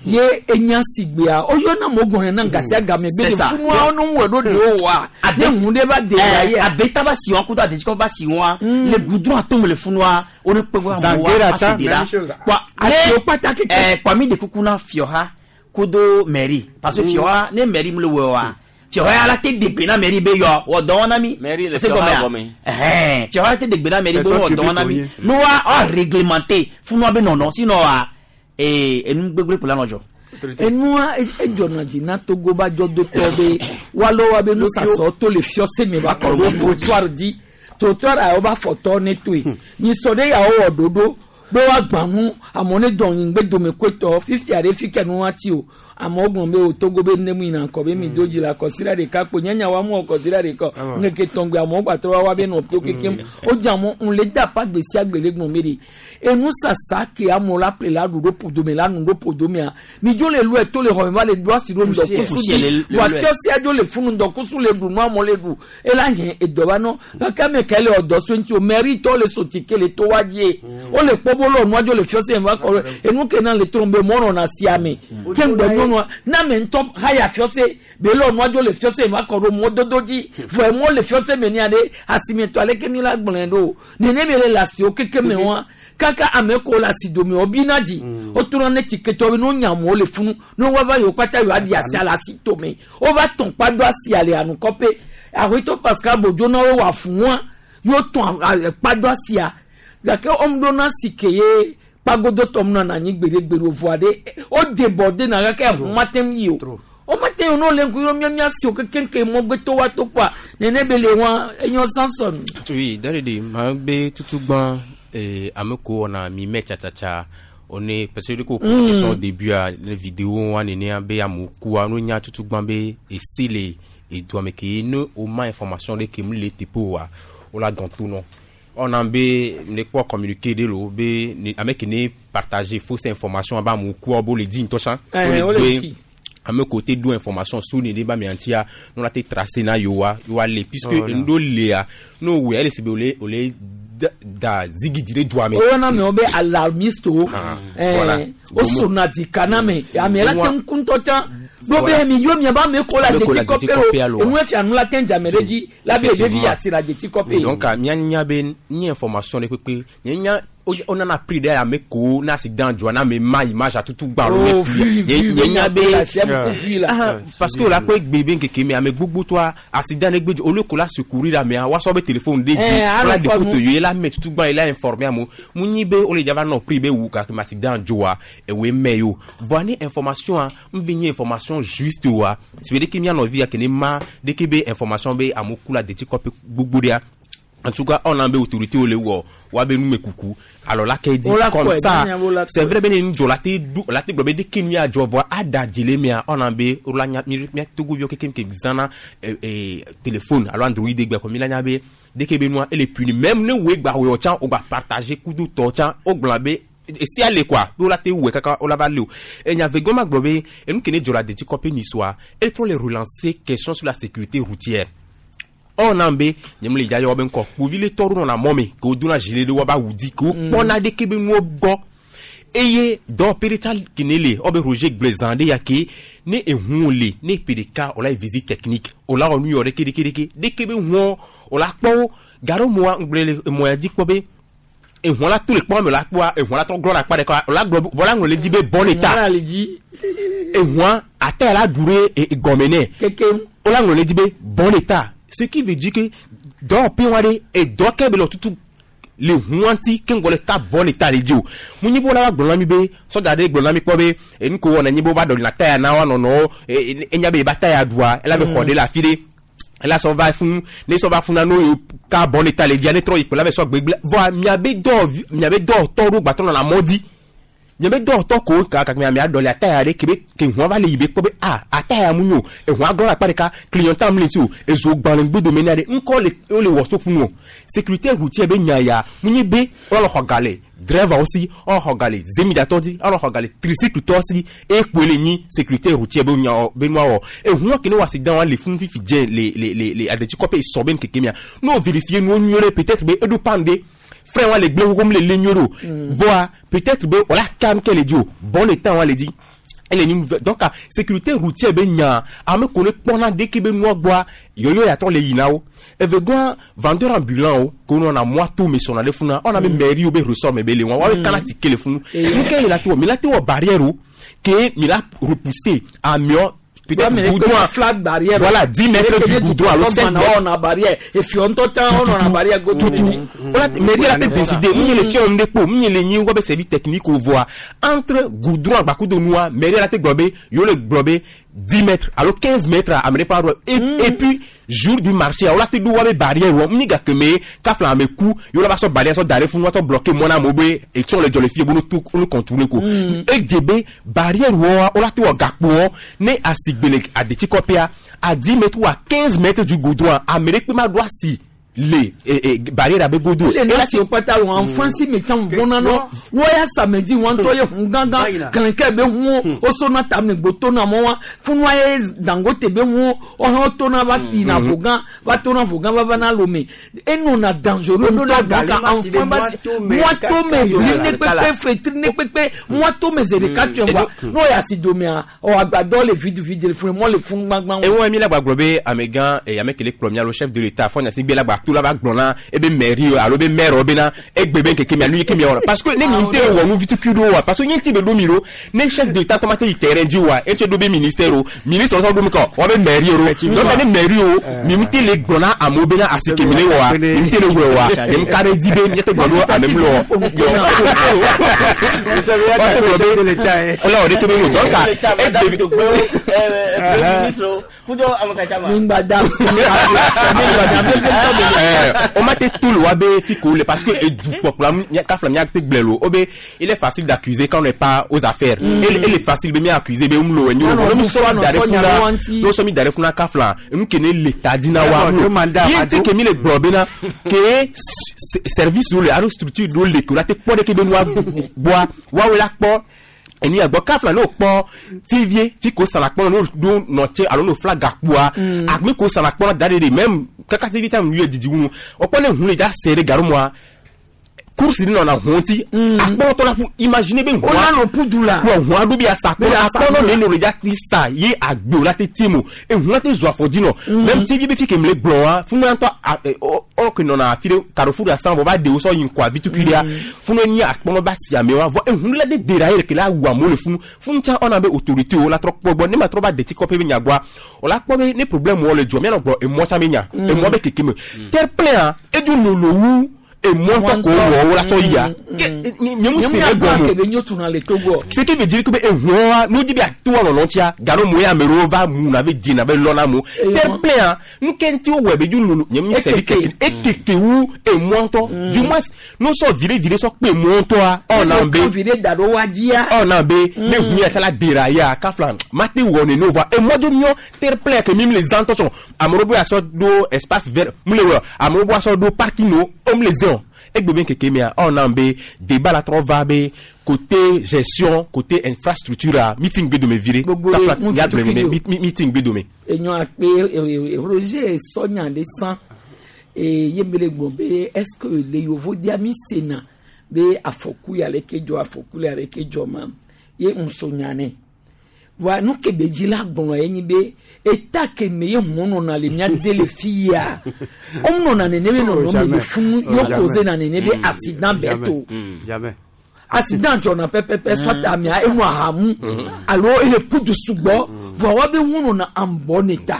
ye enya si gbea oyɔna mo gbɔn na gasi agame be C'est de ça. funua wo nu wɔ ɖo de wo wa ne ŋu ɖe va de wa Eh, ye abeta ba si wa kudo adetsikɔ ba si wa le goudron atome le funua wo ne kpe wa amewo Zangera wa tsa, asi de la même chose. Kpa Asiwo kpata keke. eh, kpa mi de kuku na fiɔha kudo mairie parce que fiɔha ne mairie mu le wɔ wa fiɔha ya la te degbe na mairie be yɔ wɔ dɔ wɔna mi Mairie le O se fiɔha gɔmea? gɔme. Ɛhɛn, fiɔha la te degbe na mairie be Personne wɔ dɔ publique wɔna mi wo nye. nu wa ɔ réglementé funua be nɔnɔ sinon wa ee enu gbegble kpo la nɔ dzɔ. Enua edzɔna dzi na Togo ba dzɔdotɔ be woalɔ wa be nusasɔ to le fiɔse me va kɔ ɖo trottoir dzi trottoir a woba fɔtɔ ne toe nyisɔ ɖe yawo wɔ ɖoɖo be woagbã nu amewo ne dɔn nyigbe dome koetɔ fifia ɖe fi ke nu ati o amewo gblɔ be o Togo be ne mu yina ŋkɔ be mi do dzi la kɔsira ɖeka kpo nyanya wa mu wɔ kɔsira ɖeka ŋkeke tɔngbe amewo gbatrɔ wa wa be nɔ ƒio kekem o dze amewo ŋu le da pa gbe sia gbe le gblɔ be de enusasa ke amewo la ƒle la ɖu ɖo ƒodomea la nu ɖo ƒodomea mi dzo le lɔe to le xɔme va le do asi ɖo ŋdɔkusu Poussière dzi le- le wa lɔe. fiɔsia dzo le funu ŋdɔkusu le ɖu nu amewo le ɖu ela hɛn edɔ va nɔ gake ame ke le ɔdɔ so ŋuti o mairie tɔ le sotike le to wa dzie wole kpɔ bo lɔ nua dzo le fiɔsia va kɔ ɖe enu ke na le trɔm be mɔ nɔna sia me ke ŋgbɛ nyɔnua na ame ŋutɔ haya fiɔse be lɔ nua dzo le fiɔse va kɔ ɖo mɔdodo dzi vɔ emɔ le fiɔse me nia ɖe asimetɔ aleke mi la gblɔe ɖo nene mi le le asiwo keke me wa kaka ame ko le asi dome wo bina dzi wotrɔ ne tsiketɔ be ne wonya amewo le funu ne woava yiwo kpata yiwo aɖi asia le asi tome wova tɔn kpa do asia le anukɔƒe ahoetɔ Pascal Bodzo na wo wɔ afunua yewo tɔn kpa do asia gake wɔm ɖo na si ke ye kpagodotɔ mu nana anyi gbeɖegbeɖe voa ɖe wode bɔ de na gake eʋu mate ŋu yi o womate ŋu ne wole ŋku yɔ miamia si o kekeŋke mɔgbetɔ wa to kpoa nene be le wa enyɔ Samson. Oui, dadede ma be tutugban eh, ame ko wɔna mi mɛ tsatsatsatsa on est parce que ko Mm. question au début a le vidéo wa nene be amewo kua no nya tutugban be esi le edua me ke ne o ma information ɖe ke mu le teƒe oa wo la dɔn to nɔ ɔna be ne kpɔ communiqué ɖe lo be ne ame ke ne partager fausse information be amewo kua bo le di ŋutɔ tsã Eh, Wo wo le le gbe di. ame ko te do information so ne ɖe ba mia ŋutia ne la te tracer na yewoa yewoa le puisque Voilà. enu ɖewo lea ne wo wɔe ele si be wole wole da- da zigidi ɖe dua me. woyɔna amewo be alarmiste wo Ah, voilà. wosona dika na ame ame la te Wa- ŋu ŋutɔ tsã ɖo be Voilà. mi yɔ miaba ame ko la Ame ko la deti kɔpe deti kɔpe lo alo. enu efia nu la te dzame ɖe dzi la be ɖevi Effectivement. asi la deti kɔpe. Donc a mía nya be nye information ɖe kpekpe nye nya o nana prix ɖe ame ko na accident dzɔa na ame ma image atutu gbã alo Oh, vu, vu, nye nya be la siam ko vu la. Ah, parce que o la kpe gbe be ŋkeke me ame gbogbo tɔa accident ne gbe dzɔ olu ko la secourir amea woasɔ be téléphone de dzi Eh, wala de alɔ photo kɔ ye la mɛ tutu gbã ye la informer amewo mu nyi be o le dzava nɔ prix be wu gake me accident dzɔa ewoe mɛ yo voa ne information a nvi nye information juste oa si be ɖeke mía nɔvi ya ke ne ma ɖeke be information be amewo ku la detikɔpe gbogbo ɖea en tout cas on a be autorité wo le wɔ wa be numekuku alors la ke di Wo la comme kɔe, ça nya wo la c'est kɔe. vrai be ne nudzɔ la te du la te gblɔ be ɖeke nu ya dzɔ vɔa ada dzi le mea on a be wo la nya mi mía togoviwo kekem ke zãna eh, eh, téléphone alo android gbe kɔ mi la nya be ɖeke be nua ele puni même ne woe gba wɔ tsã o gba partager kudo tɔ tsã o gblɔ be esi ale quoi be wo la te wɔe kaka wo la va le o enya vegɔn ma gblɔ be enu ke ne dzɔ la detikɔpe nyisoa ele trɔ le relancer question sur la sécurité routière ɔna be nye le dza yɔ be ŋkɔ kpovi le tɔ ɖo nɔna mɔ me ke wodona gilet ɖe wobe awu di ke wokpɔna ɖeke be nuwo gbɔ eye dɔwɔƒe ɖe tsa kene le wobe Roger gblɔe zã ɖe ya ke ne ehuwo le ne ƒe ɖeka wòla yi visite technique wòla wɔ nu yɔ ɖeke ɖeke ɖeke ɖeke be huɔ wòla kpɔ wo gaɖo moa ŋgblẽ le emɔ ya dzi kpɔ be ehua la to le kpɔ me la kpɔa ehua la trɔ glɔ le akpa ɖeka wòla gblɔ vɔ la ŋlɔ le dzi be bon état Wala le dzi. ehua ata ya la ɖu ɖe e- e- gɔme nɛ Kekem. wola ŋlɔ le dzi be bon état ce qui veut dire que dɔwɔƒe wa ɖe edɔ ke be le tutu le hua ŋuti ke ŋgɔ le ka bon état le dzi o mu nyi be wola va gblɔ na mi be sɔdza ɖe gblɔ na mi kpɔ be enu ko wɔna nyi be wova ɖɔlina taya na wa nɔnɔwo e- e- enya be yeba taya ɖua ela be xɔ ɖe le afi ɖe ela sɔ va fún ne sɔ va fún na no yo ka bon état le dzia ne trɔ yi kpe la be sɔ gbegble vɔa miabe dɔ miabe dɔwɔtɔ ɖo gbatɔ nɔna mɔ dzi nye be dɔwɔtɔ ko ka kaka mia ɖɔli ataya ɖe ke be ke hua va le yi be kpɔ be a ataya mu nyo ehua glɔ le akpa ɖeka clignotant mu le si o ezo gbã le ŋgbedome na ɖe ŋkɔ le wo le wɔ so funu o sécurité routière be nya ya mu nyi be wole xɔ ga le driver wo si wole xɔ ga le zemidzatɔ dzi wole xɔ ga le tricycle tɔ si ekpoe le nyi sécurité routière be nya be nua wɔ ehua ke ne wɔ accident wa le funu fifi dze le le le le adetsikɔƒe sɔ be ŋkeke mia ne wo vérifier nuwo nyuie ɖe peut-être be eɖo pan ɖe frein wa le gble xoxo mu le le nyuie ɖo voa peut-être be wòla kam ke le dzi o bon état wa le dzi ele ni donc ah, sécurité routière be nya ame ko ne kpɔna ɖeke be nua gbɔa yɔyɔ yatɔ le yina wo evegɔa vendeur ambulant wo ko nɔna mɔa to me sɔna ɖe funa ɔna be mairie wo be ressort me be le wa woabe kana tike le funu nu ke yi la te wɔ mi la te wɔ barrière o ke mi la repousser ameɔ peut-être goudron flat barrière. voilà dix mètres du goudron alo cinq mètres On a barrière. Et puis on t'entend, on a barrière. tutu wala mairie la te décider mu nye le fiɔ nu ɖe kpo mu nye le nyi wobe service technique o voa entre goudron agbakudo nua mairie la te gblɔ be yewo le gblɔ be dix mètres alo quinze mètres ame ɖe ƒe aɖo et et puis jour du marché wala te ɖo wobe barrière wɔ mu nyi gake me kafla ame ku yewo la va sɔ barrière sɔ da ɖe funu woatɔ bloquer mɔ na amewo be etsɔ le dzɔ le fie be no to no contourner ko edze be barrière wɔa wola te wɔ gakpo wɔ ne asigbe le adetsikɔƒea à dix mètres ou à quinze mètres du goudron ame ɖe kpe ma ɖo asi le eh, eh, barrière abe godo le na si kpata wo enfant si me tsã vɔna nɔ wɔya samedi wɔn tɔ ye hun gãgã kɛlɛkɛ be hun o so na ta ne gboto na mɔ wa funua ye dangote be hun ɔhɔn to na va yina vogan va to na vogan va va na lome enɔna dangereux ŋutɔ donc enfant ba si mɔto me bli ne kpekpe fetri ne kpekpe mɔto me zi ɖeka tse wa n'o ya si domea ɔ agbadɔ le vide vide le funu mɔ le funu gbagba. ewọn mi la gba gblɔ be amegã eh, ame kele kplɔ mia lo chef de l'état fɔ nyasi gbe la gba to la va gblɔ na ebe mairie o alo be maire o bena egbe be nkeke mia nu yi ke mia wɔna parce que ne mi te wɔ nu vitukui ɖo wa parce que nye ŋuti be ɖo mi ɖo ne chef de l'état tɔ ma te yi terrain dzi wa etse ɖo be ministère o ministre sɔ ɖo mi kɔ wa be mairie o donc ne mairie o mi ŋuti le gblɔ na amewo bena asi ke mi le wɔa mi ŋuti le wɔe wa mi ŋu ka ɖe dzi be miate gblɔ ɖo ame mi le wɔ wa te gblɔ be wala wɔ ɖeke be wo donc egbe o ma te tout le wa be fi ko le parce que edukpɔkplɔ mia kafla mia te gblẽ lo o be il est facile d'accuser quand on n'est pas aux affaires mm. il, il est facile be mia accuser be mu lo enyo lo mu sɔ mi da ɖe funa no sɔ mi da ɖe funa kafla enu ke ne l'état dina wa mu ye ti ke mi le gblɔ bena ke service wo le alo structure ɖewo le ke o la te kpɔ ɖe ke be nua gbɔa woawoe la kpɔ enu ya gbɔ kafla n'o kpɔ tivie fi ko sara kpɔ n'o do nɔtse alo n'o fila gakpoa agbe ko sara kpɔ da de de même kaka tivi ta nu ye didi wunu o kpɔ ne hun le dza se ɖe gaɖo mua course ni nɔna hun ti akpɔnɔtɔ la ƒu imagine be O la nɔ pudu la. wɔ hun aɖo bi asa Be akpɔnɔ asa akpɔnɔ la. ne ne o le dza ti sa ye agbe o la te tie mo ehun la te zɔ afɔdzi nɔ même ti bi fi ke mle gblɔ wa funu yantɔ a ɛ ɔ ɔ ke nɔna afi ɖe carrefour la san vɔ va de wo sɔ yi ŋkɔ avitukui ɖea funu nyi akpɔnɔ ba si ame wa vɔ ehun la de de ra ye ke la wu amewo le funu funu tsa ɔna be autorité wo la trɔ kpɔ gbɔ ne ma trɔ va deti kɔƒe be nyagbɔa o la kpɔ be ne problème wɔ le dzɔ mianɔ gblɔ emɔ tsa be nya emɔ be keke me terre plein a edu lolo wu emɔ tɔ ko wɔ wo la sɔ yia nye mu se ne gɔme kebe nyo tuna le Togo. ce qui veut dire que be ehun wa n'o di bi a to wa lɔlɔ tia gano mo ya ame ɖewo va mu na be dzi na be lɔna mo terre plein a nu ke ŋuti wowɔe be dzo lolo nye mu sɛbi keke ekeke wu emɔ ŋutɔ du moins n'o sɔ vire vire sɔ kpe emɔ ŋutɔa ɔna be vire da ɖo wa dzia. ɔna be ne hu ya tsala dera ya kafla mate wɔ nene o vɔ emɔ dzo miɔ terre plein ke mi le zã tɔ sɔn ame ɖewo be asɔ ɖo espace vert mu le wɔ ame ɖewo be asɔ ɖo parking wo wo mu le zẽ o egbe be keke mea ɔna be débat la trɔ va be côté gestion côté infrastructure a meeting gbe dome vi ɖe Gbogbo kafla ye, ya gblɔ ŋuti ne tukui mi- mi- meeting gbe dome. Enyo akpe Roger sɔnya le san eye ye mi le gblɔ be est ce que le yovo dia mi sena be afɔku ya le ke dzɔ afɔku ya le ke dzɔ ma ye ŋusɔ nya nɛ voa nu ke be dzi la gblɔ ye nyi be eta ke me ye ŋu nɔna le mía de le fi ya wo nɔna nene be Oh, nɔnɔ me jamais. le funu Oh, yɔ jamais. koze na nene be Mm. accident bɛ Jamais. to Jamais. accident dzɔna pɛpɛpɛ soit amea enu ahamu alo ele pudu sugbɔ vɔa wa be ŋu nɔna anbɔ ne ta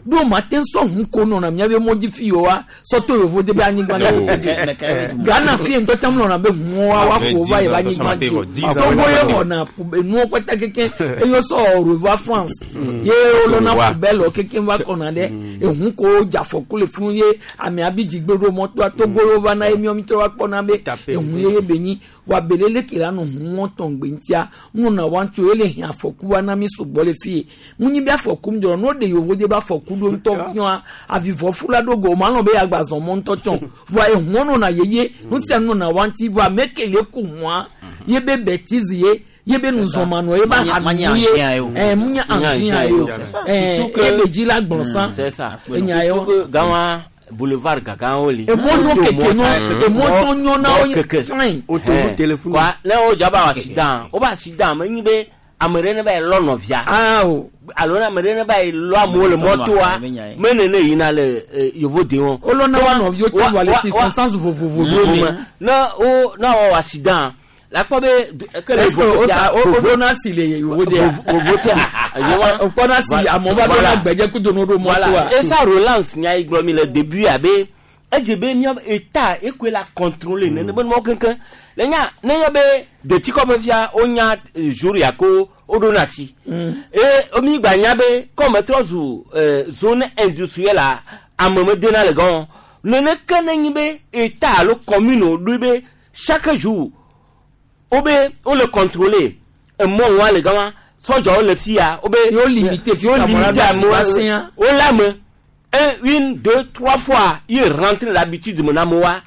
ɖo ma te sɔ ŋu ko nɔna mía be mɔdzi fi yewoa sɔtɔ yevo de be anyigba na Ghana fi ŋutɔ tam nɔna be ŋuwa wa ko va yi ba anyigba dzi o Togo ye xɔna pu- enuwo kpata keke eye sɔ au revoir France ye wolɔna poubelle keke va kɔna ɖe eŋu ko dzafɔku le funu ye amea bi dzigbe ɖo mɔtoa Togo ye wova na ye miɔ mi trɔ va kpɔna be eŋu ye ye be nyi wa belele ke la nɔ ŋu tɔn gbe ŋutia ŋu na wa ŋuti o ele hɛn afɔku wa na mi sugbɔ le fi ye ŋu nyi be afɔku mi dzɔ n'o de yovo de be afɔku ɖo ŋutɔ fiɔa avivɔfu la ɖo go o ma lɔn be yagba zɔn mɔ ŋutɔ tsɔn voa eŋuɔ nɔna yeye nu sia nu nɔna wa ŋuti voa ame ke le ku ŋua ye be bɛtizi ye ye be nuzɔmanɔ ye be Manye- manye hanu ye engin ye o. ɛɛ mu nye engin ye o ɛɛ Surtout que- ye be dzi la gblɔ san C'est ça. enya ye Surtout que Gawa boulevard Gagan oli. Emɔ nyɔ keke nyɔ, emɔ tɔ nyɔ na wo ye keke. fine. Eh, Quoi, ne wo dzaba accident, wo ba accident, me nyi be ame ɖe ne va yi lɔ nɔvia. Alo ne ame ɖe ne va yi lɔ amewo le mɔtoa, me nene yina le eh, yevo de wɔn. Wolɔna wa nɔviwo tsɔ vɔ le circonstance vovovo ɖewo me. Ne wo ne wɔ accident, la kpɔ be du- ke le Est-ce que vovo o tia- sa o o vovo- ɖona si le yewo dea? vovo tia. O kpɔna si amewo va ɖona gbedze kudo no ɖo Voilà. mɔtoa. Et ça relance nya yi gblɔ mi le début abe edze be míaƒe état ekoe la contrôler nene be numɔwo keŋkeŋ le nya ne nye be detikɔƒe fia wonya eh, jour ya ko woɖona asi eye mi gba nya be kɔme trɔ zu eh, zone industrielle a ame medena le gɔn nene ke ne nyi be état alo commune woɖoe be chaque jour wobe wole contrôler emɔ wa le gama sɔdzɔwo le fia wobe Yewo limité fi yewo ka mɔ la limité ɖo amewo asi va sẽa. wole ame un une deux trois fois ye rentre l'habitude me na amewoa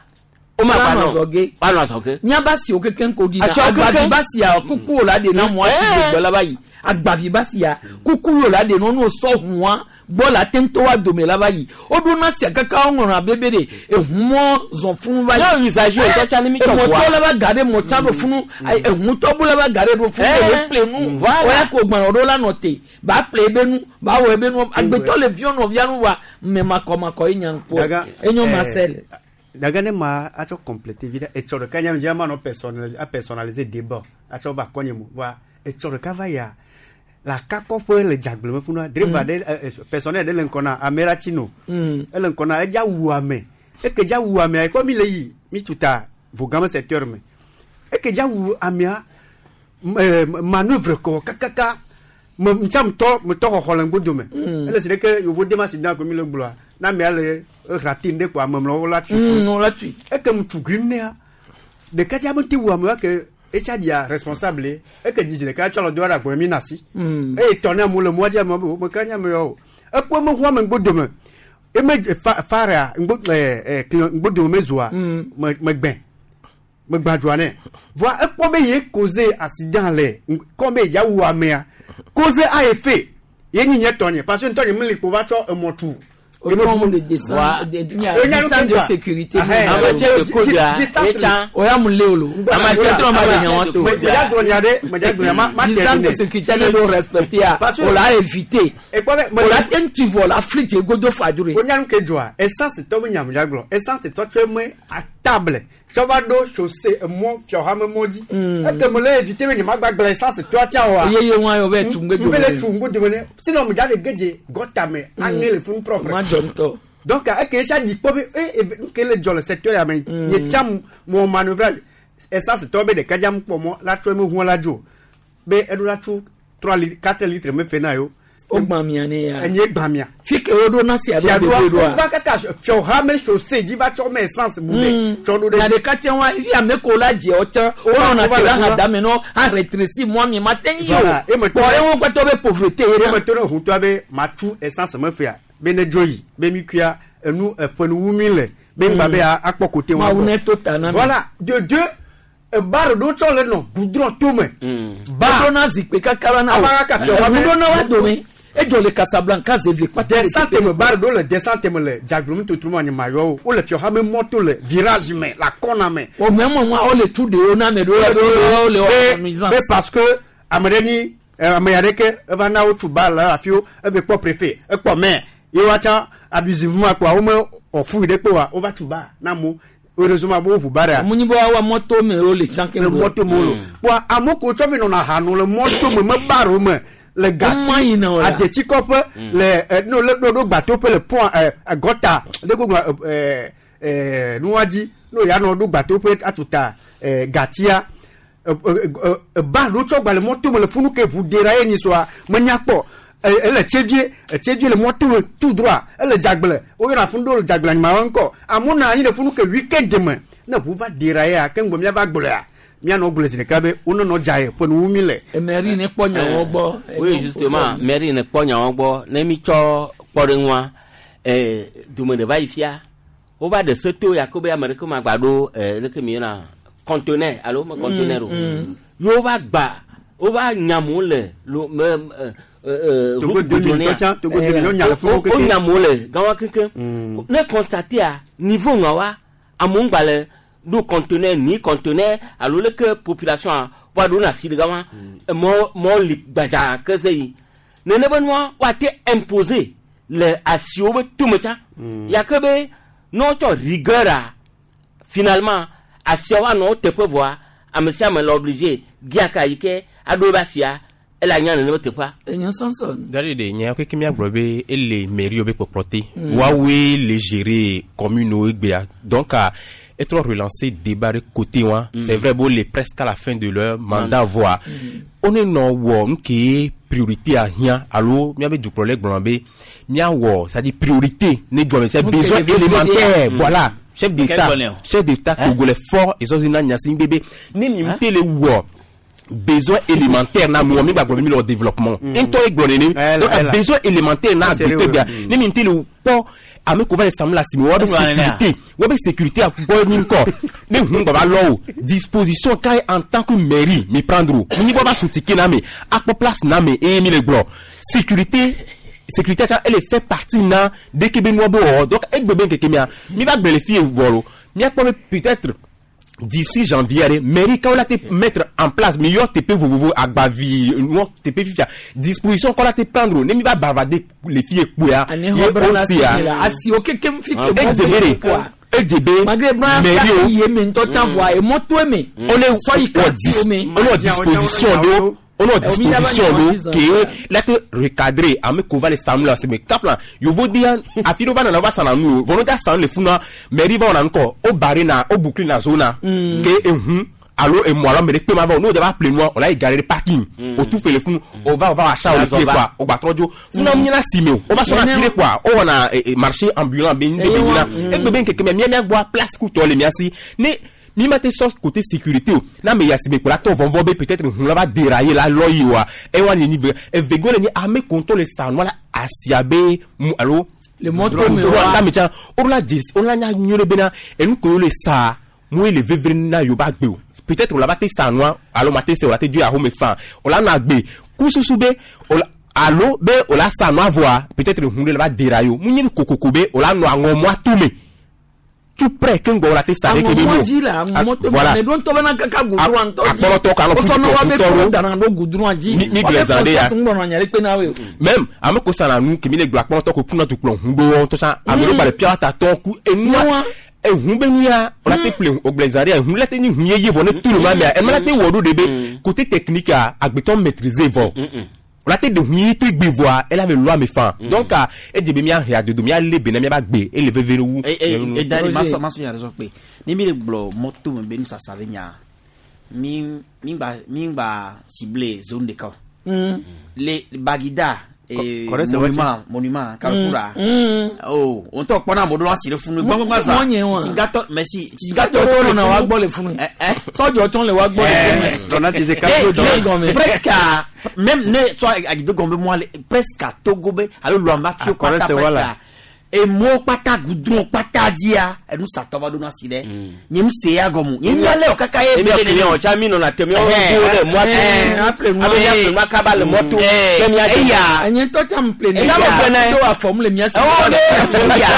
woma Woanɔ gba nɔ azɔge. woanɔ azɔge Nyaba si wo kekeŋ ko ɖina Asiawo agbavi kekeŋ. ba sia kuku wo la ɖe na mɔa si Eh. gbɔ la va yi agbavi ba sia kuku wo la ɖe nɔnu sɔ hũa gbɔ la te ŋutɔ wa dome la va yi woɖona sia kaka woŋlɔna bebe ɖe ehumɔ zɔn funu va yi Ne usager ŋutɔ tsã ne mi tsɔ emɔtɔ ʋua. la va ga ɖe mɔ tsã ɖo funu ayi ehutɔ bu la va ga ɖe ɖo funu Eh. ɖe ƒle nu Voilà. wɔya ko gbãnɔ ɖo la nɔ te ba ƒle ebe nu ba wɔ ebe nu agbetɔ le viɔ nɔvia nu wa mɛ makɔmakɔ ye nya ŋkpɔ Daga, enyo eh, Marcel. daga ne ma atsɔ compléter vi ɖe etsɔ ɖeka nye dzi ma nɔ personnel a personnaliser débat atsɔ va kɔnye mo wa etsɔ ɖeka va ya le akakɔƒe le dzagble me funua driver ɖe ɛ, ɛ, personnel ɖe le ŋkɔ na ame ɖe tsi no Mm. ele ŋkɔ na edza wu ame eke dza wu amea ekɔ mi le yi mi tuta vogame secteur me eke dza wu amea m- ɛ, manœuvre kɔ kakaka me ŋtsa mtɔ metɔ xɔxɔ le ŋgbodome Mm. ele si ɖeke yovo dem accident ko mi le gblɔa na amea le ehra te ŋɖe ko amemlɔwo la tui Mm, wo la tui eke mu tu grim nea ɖeka dza me te wu amewa ke etsa dzia responsable ye. eke dzi zi ɖeka tsɔ le do ɖe agbɔn mi na si Mm. eye tɔ ne amewo le mɔa dzi amewo be wo meka nye amewo o ekpɔ eme ʋu ame ŋgbodome eme fa farea ŋgbo ɛ ɛ client ŋgbodome mezoa me megbɛ megbã dzoa nɛ voa ekpɔ be ye cause accident le ŋ- kɔ be yedza wu amea cause a efe ye nyi nye tɔnye parce que ŋutɔ nye meli kpo va tsɔ emɔ tu Au de descente de distance de sécurité. Oya mu le olo. Distance de sécurité ne do respecter a. O la éviter. O la ten tu vois la flic godo fadure. O nyanu ke joa essence to mi nyamu jaglo essence to tue me a table. Tsɔva ɖo chaussée emɔ fiɔhame mɔ dzi ete me le éviter be nye ma gba gblẽ essence toa tia oa. Yeye wa yɔ bɛ tu ŋgbe dome. Nbe le tu ŋgbe dome ne sinon me dza le gedze gɔta me aŋe le funu propre. Ma dzɔ ŋutɔ. Donc eke esia dzi kpɔ be e ke le dzɔ le secteur ya me nye tsa mɔ manœuvrage essence tɔ be ɖeka dza kpɔ mɔ la tsɔ eme ʋua la dzo be eɖo la tso trois litres quatre litres me fe na yo. O gbã mia ne ya. Enye gbã mia. Fi ke wo ɖo na sia ɖo ɖo ɖoa. O va kaka fiɔhame chaussée dzi va tsɔ me essence bu ɖe tsɔ ɖo ɖe. Na ɖeka tse wa fi ame ko la dze wo tsã wo nɔna te la hã dame nɔ hã rétréci mɔ mi ma te yi o. Kpɔ eŋu kpɛtɔ be pauvreté ye. Eme to ne ʋutɔa be ma tu essence me fea be ne dzo yi be mi kuia enu eƒenuwu mi le be ŋgba be akpɔ kote wa. Mawu ne to ta na mi. Voilà de deux. Bar ɖo tsɔ le nɔ goudron tome. Ba ɖo na zikpui kaka la na o. Eŋu ɖo na wa dome. Edzo le Casablanca zeve kpata. Descente me bar ɖo le descente me le dzagblomu totro ma nye ma yɔ o. Wole fiɔhame mɔto le virage me la kɔna me. O mɛ mɔ wa wole tu ɖewo na ame ɖewo ɖewo le wɔ nuisance. Be parce que ame ɖe ni ame ya ɖe ke eva na wo tu bar le afi wo eve kpɔ préfet ekpɔ maire ye wa tsã abusivement kpoa wo me wɔ fu yi ɖe kpe wa wova tu bar na amewo. Heureusement bo ʋu bara. Munyi bo awa mɔto me wo le tsã ke le mɔto me wo lo. Kpoa amewo ko tsɔ vi nɔna ha no le mɔto me me bar wo me le gati adetsikɔƒe le no le ɖo gbatoƒe le pont gɔta ɖe ko gblɔ ɛɛ ɛɛ nua dzi no ya nɔ ɖo gbatoƒe atuta ɛɛ gatia bar ɖo tsɔ gba le mɔto me le funu ke ʋu dera ye nyi soa menya kpɔ. Ele tsevie tsevie le mɔto me tout droit ele dzagble woyɔna funu ɖo le dzagble anyima ŋkɔ amewo nɔ anyi ɖe funu ke weekend me ne ʋu va dera ya ke ŋgbɔ miava gblɔa mianɔ gblɔ zi ɖeka be wonɔnɔ dza ye ƒe nuwu mi le. Mairie ne kpɔ nyawo gbɔ. Oui justement mairie ne kpɔ nyawo gbɔ ne mi tsɔ kpɔɖeŋua ɛɛ dome ɖe va yi fia wova ɖe seto ya ko be ame ɖeke ma gba ɖo ɛɛ ɖeke mi yɔna conteneur alo me conteneur o yewo va gba wova nyamu le lo me Togo o nyamu le gawa keke ne constaté a niveau ŋa wa amewo ŋgba le ɖo conteneur ni conteneur alo leke population a wa ɖo na si ɖe gawa mɔ mɔ li gbadza ke se yi nene be nua wa te imposer le asiwo be tome tsã ya ke be ne wotsɔ rigueur a finalement asiawo anɔ wo teƒe vɔa ame sia ame le obligé gia ka yi ke aɖo ebe asia ele anya nene be teƒea. Enyo sɔnsɔn. Dari de nya keke miagblɔ be ele mairie be kpɔkplɔ te. Woawoe le gérer commune wo egbea donc etrɔ relancer débat de côté wa. C'est vrai bo le presque à la fin de leur mandat voa. One nɔ wɔ nu ke priorité ahiã alo miabe dukplɔla gblɔ be miawɔ c'est-à-dire priorité ne dzɔ me c'est besoin élémentaire voilà. Chef d'État chef d'État togolais fort ezɔzi na nyasi bebe ne mi te le wɔ besoin élémentaire na mo mi gba mi le développement ntɔ egblɔ nene donc besoin élémentaire na agbete bia ne mi te le kpɔ ame ko va le sam la simi wa be sécurité wa be sécurité agbɔ mi ŋkɔ ne hun gba va lɔ o disposition ka ye en tant que mairie mi prendre o mi bɔ va sotike na me akpɔ place na me eye mi le gblɔ sécurité sécurité elle fait partie na dès que be nua be wɔ donc egbe be nkeke mia mi va gblɔ le fi vɔ lo miakpɔ be peut-être d'ici janvier mairie quand on la te mettre en place mais yo T P vovovo agbavi non T P fifia disposition qu'on la te prendre ne mi va bavarder les filles quoi ye aussi asi o keke fi ke quoi E D B mairie ye me ntɔ tsa voa e mɔto me on est on est disposition de on a disposition do ke la te recadrer ame ko va le stam la c'est mais cap là yo vo dia afiro va na va sana nu volontaire san le funa mairie va on encore au barré na au boucler na zone ke ehun allo et moi là mais pe ma va nous va appeler moi on a garé le parking au tout fait le fun on va on va achat au fait quoi au ba trojo funa mi na simeo on va sur la quoi on a marché ambulant ben ben et ben ke me mi mi place ku to le mi asi ne mi ma te sort côté sécurité na me yasime pour la to vonvo be peut-être on va dérailler la loyi wa e wa ni niveau e vego le ni ame contrôle ça no la asiabe mu allo le moto me wa me cha o la o la nya nyore bena e nu ko le sa mu le vevre na yo ba gbe o peut-être on la va te sa no allo ma te se o la te du a home fan o la na gbe kususu be o la Alo be o la sa nua voa peut-être hun ɖe le va dera yo mu nye kokoko be o la nɔ aŋɔmɔa tome tout près ke ŋgbɔ o la te sa ɖe ke be aŋɔmɔ no dzi le aŋɔmɔ to voilà. me ɖo ŋutɔ bena kaka gudrɔa ŋutɔ dzi akpɔlɔtɔ kan wosɔ ne wa be tɔ kplɔ ɖo. dana ɖo gudrɔa dzi Mi- mi wa be gblẽ zã ɖe ya. process ŋgbɔnɔ nya ɖe kpe na woe o. Même ame ko sana nu kemi le gblɔ akpɔlɔtɔ ko kuna tukplɔ hun ɖo wɔn tɔsa ame ɖewo gba le pia ta tɔn ku enua ehun be nu ya o la te ple o gblẽ zã ɖe ya ehun la te nyi hun yeye vɔ ne tu le ma mea ema la te wɔ ɖo de be côté technique a agbetɔ maîtriser vɔ o la te de hun ye to egbe vɔa ela ve lɔ ame fan donc a edze be mia he adodo mia le be na mia ba gbe ele veve ɖe wu. Eh, eh, eh, Dani, ma sɔ ma sɔ nya ɖe sɔ kpe ni mi le gblɔ mɔto me be nusasa be nya mi mi gba mi gba ciblé zone ɖeka o Mm. le Bagida eh, Kɔ- kɔrɛ sɛ monument monument Carrefour a Mm. oh o ŋutɔ kpɔna amewo ɖo asi ɖe funu gbɔngbɔngbɔn za Mɔ nye wa. tsitsigatɔ merci tsitsigatɔ Sɔdzɔ ɖo tɔn le na wa funu gbɔ le funu. Sɔdzɔ tɔn le wa gbɔ le funu. Dɔnna ti se Eh, kaso dɔn. gɔmɛ. presque à- même ne soit agido gɔmɛ moi le presque à Togo be alo Luamba fio Akɔrɛ kpata sɛ presque wala. à emo kpata goudron kpata dzia enu satɔ va ɖo na si ɖe nye nu se ya gɔmu nye nu alɛ o kaka ye emi client tsa mi nɔna te miawo do le mɔa to abe mia ƒle nua kaba le mɔ to be mia dze eya Enye ŋutɔ tsã m ple ne. Eya me ple ne. Do afɔm le mia si. Ewo ɖe eya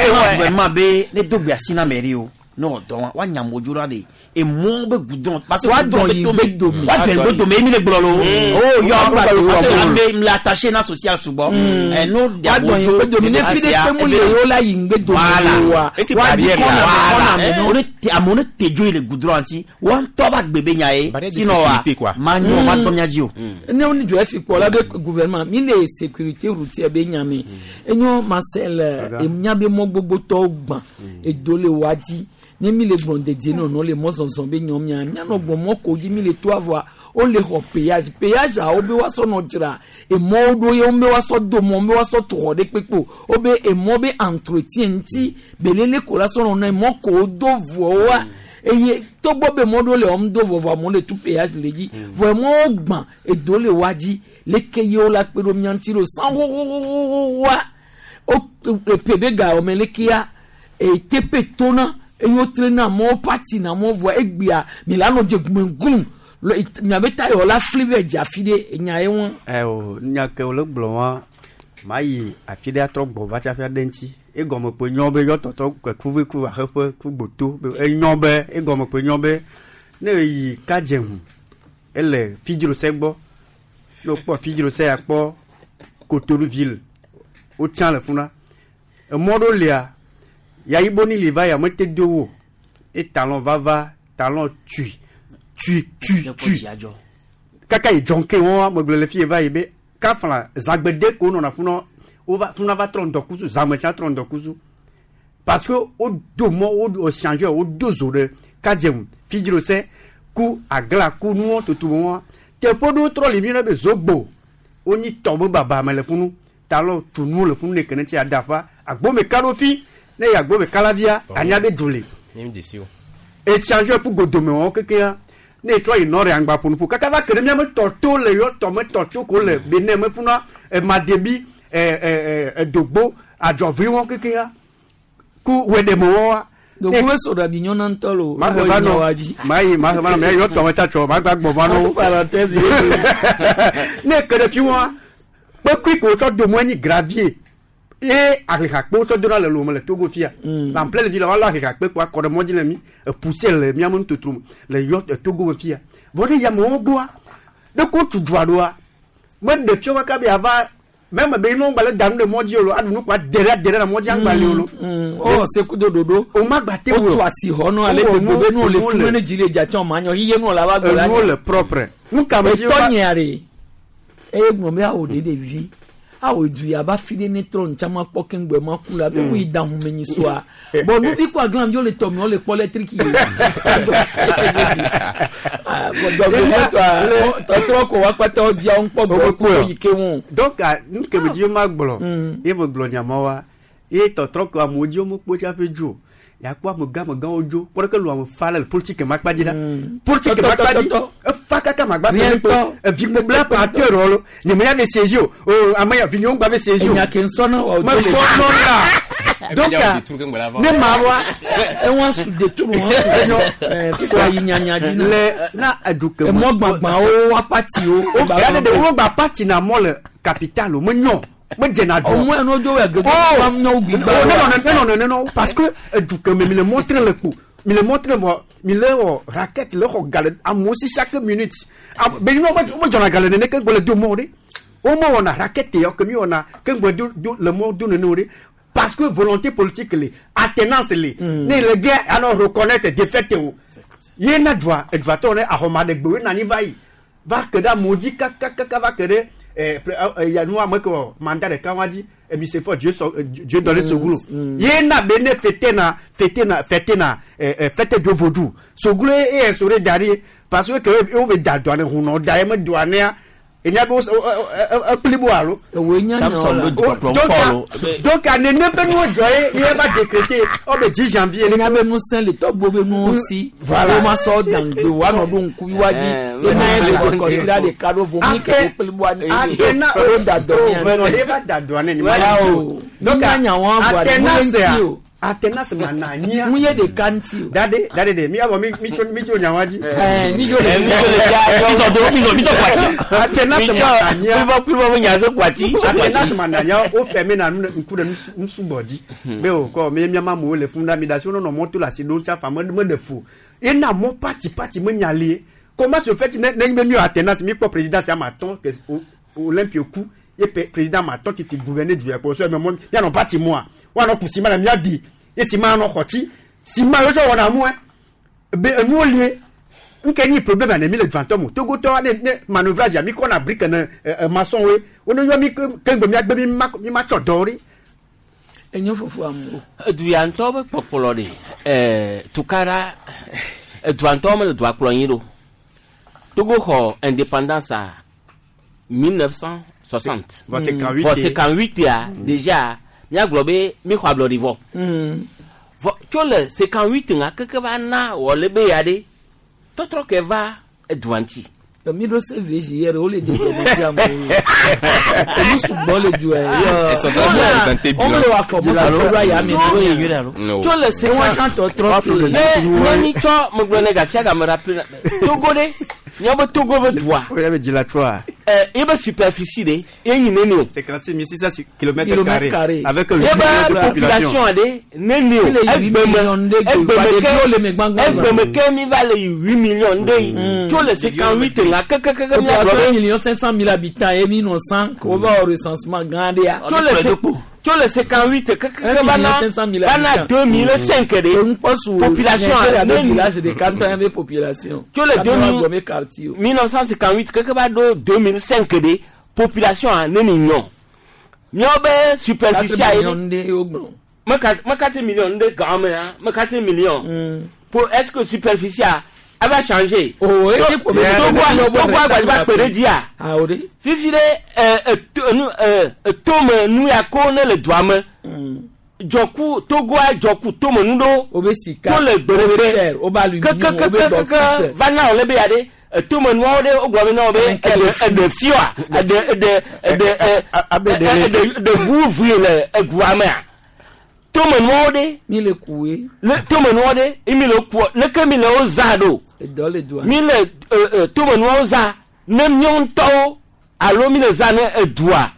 ema gouvernement be ne do gbe asi na mairie o ne wɔ dɔn wa woanya modzo la de emɔ be goudron parce que Wa goudron dɔn be yi tome be dome. wa dɔn yi be dome emi le gblɔ lo o yɔ parce que Wa ame le attaché na social sugbɔ ɛ no de Wa dɔn yi amodzo be dome. Ne fi ɖe kpe mu le yewo la yi ŋgbe dome Voilà. o wa. Eti Wa di barrière kɔna la. me kɔna Voilà. me no. O ne te amewo ne te dzo yi le goudron ŋuti wa ŋutɔ ba gbe be nya ye Barrière de sinon wa sécurité, quoi. ma nyɔ ma tɔ mia dzi o. ne wo ni dzɔ esi kpɔ la be gouvernement mi le sécurité routière be nya me enyo Marcel enya be mɔ gbogbotɔwo gbã edo le wa dzi ne mi le gblɔ dedie nɔnɔ le mɔzɔzɔ be nyɔ mia mianɔ gbɔ mɔ ko dzi mi le to avɔa wole xɔ péage péage a wo be woasɔ nɔ dzra emɔwo ɖo ye wo be woasɔ do mɔ wo be woasɔ tu xɔ ɖe kpekpe o wo be emɔ be entretien ŋuti belele ko la sɔ nɔ na emɔ ko wo do vɔwoa eye togbɔ be mɔ ɖewo le wɔm do vɔvɔ amewo le tu péage le dzi vɔ emɔwo gbã edo le wa dzi leke ye wo la kpe ɖo mia ŋuti ɖo san xoxoxoxoxoa o epe be ga wɔme lekea etepe tona eye wotre na amewo pati na amewo vɔa egbea mi la nɔ dze gumeŋgum miabe ta yɔ la fli vɛ dze afi ɖe enya ye ŋu. ɛ o nya ke wòle gblɔ wa ma yi afi ɖe atrɔ gbɔ va tsafi aɖe ŋuti egɔme kpe nyɔ be yɔ tɔtɔ kuve ku aheƒe ku gboto be enyɔ be egɔme kpe nyɔ be ne eyi kadze ŋu ele fidzrose gbɔ ne wokpɔ fidzrose akpɔ Cotonou ville wotsã le funa emɔ ɖewo lia yayibo ni li va ya mete do wo e talon vava talon tui tui tui tui kaka yi dzɔnke wɔn megblɔ le fi yi va yi be kafla zagbede ko nɔna funa wova funa va trɔ ŋdɔkusu zame tsa trɔ ŋdɔkusu parce que wo do mɔ wo wo change wo do zo ɖe kadze fidzrose ku agla ku nuwɔ tutu wɔn teƒe ɖewo trɔ li mi ɖe be zogbo wonyi tɔ be baba me le funu talɔ tu nuwo le funu ne kene tsi adafa agbome ka ɖo fi ne yi agbome kalavia anya be du le échange ku godome wɔn kekea ne trɔ yi nɔre angba ƒonuƒo kaka va ke ɖe miame tɔto le yɔ tɔme tɔto ko le benin me funa emadebi ɛ ɛ ɛ edogbo adzɔvi wɔn kekea ku wɛɖeme wɔn dogo be sɔrɔ abi nyɔna ŋutɔ lo. ma he va nɔ ma yi ma he va nɔ mɛ yɔ tɔme tsatsɔ ma gba gbɔ va nɔ parenthèse ne ke ɖe fi wɔn kpekui ko tsɔ do mɔ nyi gravier ye ahihakpewo tsɔ dona le lome le Togo fia la en pleine ville wala ahihakpe kpo akɔ ɖe mɔdzi le mi epoussière le miame nutotro me le yɔ Togo me fia vɔ ɖe yamewo gbɔa ɖe ko tu dua ɖoa meɖe fia kaka be ava mɛmɛ be inu gba le da nu ɖe mɔdzi o lo aɖu nu kpa de ɖe de ɖe le mɔdzi agba li o lo. ɔ sekudo dodo o ma gba te o wo tu asi xɔ nɔ ale gbogbo be nu le funu ne dzi le dza tsɔn ma nyɔ yiye nu la va gbɔ la enuwo le propre nu ka me dzi etɔ nyea ɖe eye gblɔ be awo ɖe ɖevi awo du ya ba fi ɖe ne trɔ ntsama kpɔ keŋgbɛ ma ku la be mu yi da hume nyi soa bɔn nuvi kɔ aglan vi le tɔmi wo le kpɔ lɛtriki ye tɔtrɔ ko wa kpata wo dzia wo ŋkpɔ gbɔ ku yi ke ŋu. donc nu ke me dzi ma gblɔ ye me gblɔ nyama wa ye tɔtrɔ ko amewo dzi wo mekpɔ tsaƒe dzo yakpɔ amegã amegãwo dzo kpɔ ɖeke lu ame fa le politique ma kpa dzi ɖa politique ma kpa dzi efa kaka ma gba se kpe evi gbogbo la acteur wɔ lo nye me ya be siège o o ame ya vi nyɔnu gba be siège o enya ke nsɔ na wa o me to le kpɔ nɔ la Donc ne ma wa ewọn su de turu wọn su fífa yi nyanya dzi na le na eduke emɔ gbagbawo wa pati wo. O ya de wo gba pati na mɔ le capital o me nyɔ me dzena dɔ. Ɔmɔ yẹn n'ojo wɛ gɛgɛ wa nyɔ gbigba. Ne nɔ ne nɔ ne nɔ parce que eduke me mi le montre le kpo mi le montre vɔ mi le wɔ raquette le xɔ gale amewo si chaque minute be nyɔ me dzɔna gale nene ke gbɔ le do mɔ de wo me wɔna raquette yɔ ke mi wɔna ke gbɔ do do le mɔ do nene o de. Parce que volonté politique les attenance les ne le gars alors reconnaître défaite o ye na droit et droit on est à Roma de gbe na ni va yi va que da modi kaka kaka va que de eh ya nous am que mandat de kawadi et mi c'est fort Dieu Dieu donne ce goulot ye na bene fêter na fêter na fêter na fête de vaudou ce goulot est instauré derrière parce que on veut da douane huno da me douane donc nene pe nu jɔ ye va décréter o be dix janvier. Enya be nusẽ le tɔgbo be nuwo si. Voilà. O ma sɔ dangbe wa nɔ ɖo ŋkuvi wa dzi. Ena ye le kɔsira ɖeka ɖo vomi ke wo kpli bɔ ani. Atena o da dɔ ni. O va da dɔ ne ni. Donc anya wɔn bɔ ani mu ye ŋuti o. Atena se ma na nya. Mu ye ɖeka ŋuti o. Dade dade de mi awɔ mi mi tso mi tso nyawa dzi. Ɛɛ mi tso le mi tso le mi sɔ do mi sɔ mi sɔ kwati. Atena se ma na nya. Mi bɔ kuli bɔ mi nya se kwati. Atena se ma na nya o fɛ mi na nu ŋku ɖe nusugbɔ dzi. Be o kɔ mi miama amewo le fun da mi da si wo nɔnɔ mɔto le asi ɖo ŋuti afa me me ɖe fu. Ena mɔ pati pati me nya lie. Comment se fait ne ne mi atena mi kpɔ président si ama tɔn ke Olympio ku ye président ma tɔn titi gouverner du yɛ kɔ so mɛ mɔ mianɔ pati mua. Wana kusima na miadi esima no xɔti sima yo sɔ wɔna mue be enuwo lie nke nyi problème ane mi le dvantɔ mo togotɔ ne ne manœuvrage ya mi kɔna brique ne ɛ maçon we wone yɔ mi ke ŋgbe miagbe mi ma mi ma tsɔ dɔ ɖi. Enyo fofo amewo. Eduyantɔ be kpɔkplɔ ɖe ɛɛ tukara eduantɔ me le dua kplɔ nyi ɖo Togo xɔ indépendance a mille neuf cent soixante. Vɔ cinquante-huit. Vɔ cinquante-huit ya déjà. Miagblɔ be mi xɔ ablɔɖi vɔ. Vɔ tso le cinquante-huit ŋa keke va na wɔ le be ya ɖe tɔtrɔ ke va edua ŋuti. Mi ɖo C V J yɛrɛ o le de dɔmɔdzi amewo. Enu sugbɔ le du yɛ. Wɔn le wa fɔ bɔsɔ tso ɖo aya mi. Tso le cinquante tɔtrɔ ne ne mi tsɔ megblɔ ne gasia game rapide Togo ɖe miawo be Togo be dua. O yɛrɛ bɛ dzi la trɔa. Ɛ ebe superficie de ye nyi neni o. cinquante-six mille six cents kilomètres carrés avec huit millions de population. Ebe population de neni o. Egbeme egbeme egbeme ke mi va le huit millions de yi. Tso le cinquante-huit ŋa kekekeke mi agblɔ be. Millions cinq cent mille habitants et mille neuf cents k'o va au recensement gã de ya. Tso le tso le cinquante-huit kekeke va na va na deux mille cinq de. Population neni. Village de canton be population. Tso le deux mille neuf cent cinquante-huit keke va do deux mille cinq de population a neni nyɔ. Miawo be superficie a ye. Me quatre millions de gã me ya me quatre millions. Pour est-ce que superficie a a va changer. Oh, Togo Togo agbadza va kpe ɖe dzia. Fifi ɖe ɛ ɛ tome nu ya ko ne le dua me. Dzɔku Togoa dzɔku tome nu ɖo. O be sika. To le gbeɖegbe. Kekekekeke va na wòle be ya ɖe. Tome nuawo ɖe wogblɔ be na wo be eɖe eɖe fioa eɖe eɖe eɖe eɖe eɖe ʋu vui le egua mea. Tome nuawo ɖe. Mi le kuwe. Le tome nuawo ɖe mi le kuɔ leke mi le wo zã ɖo. Edɔ le dua. Mi le ɛ tome nuawo zã ne míawo ŋutɔwo alo mi le zã ne edua.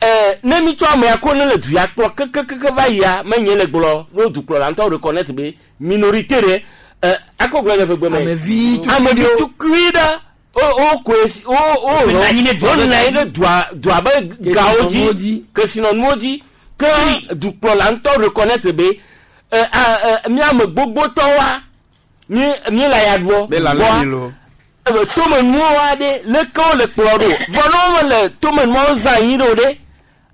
Ɛ ne mi tsɔ amea ko ne le du ya kplɔ kekekeke va yia menye le gblɔ n'o dukplɔla ŋutɔ reconnaître be minorité ɖe. Ɛ akɔ gblɔ le ʋegbe me. Amevi amevi tukui ɖe o o koe o o o nɔ anyi ɖe dua dua be gawo dzi kesinɔnuwo dzi ke dukplɔla ŋutɔ reconnaître be ɛ ɛ mi ame gbogbotɔwoa mi mi le aya ɖuɔ vɔa tomenuwo ɖe leke wo le kplɔ ɖo vɔ ne wo le tomenuawo zã anyi ɖo ɖe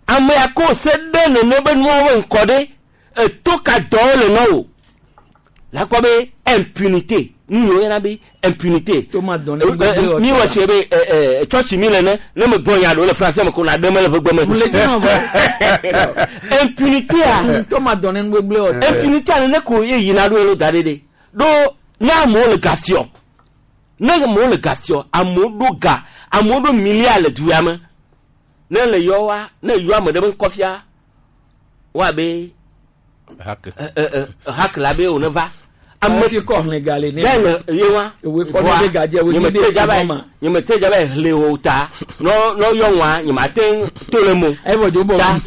ame ya ko se ɖe nene be nuawo be ŋkɔ ɖe eto ka dɔwo le na wo la kpɔ be impunité nu yiwo yɔna be impunité mi wɔ se be ɛ ɛ tsɔtsi mi le ne ne me gbɔ nya ɖo le français me ko na ɖe me le ʋegbe me impunité a impunité a nene ko ye yina ɖo ye lo da ɖe ɖe ɖo ne amewo le ga fiɔ ne amewo le ga fiɔ amewo ɖo ga amewo ɖo milliard le du ya me ne le yɔ wa ne yɔ ame ɖe be ŋkɔ fia wa be Hak la be wòne va. Ame fi kɔ hlẽ ga le ne. Bẹ́ẹ̀ ni ye wa. Ewe kɔ ne be gadze ewe nye be jaba nye me te jaba hlẽ o ta. Nɔ nɔ yɔ wa nye ma te to le mo. Evɔ dzo bɔ. Ta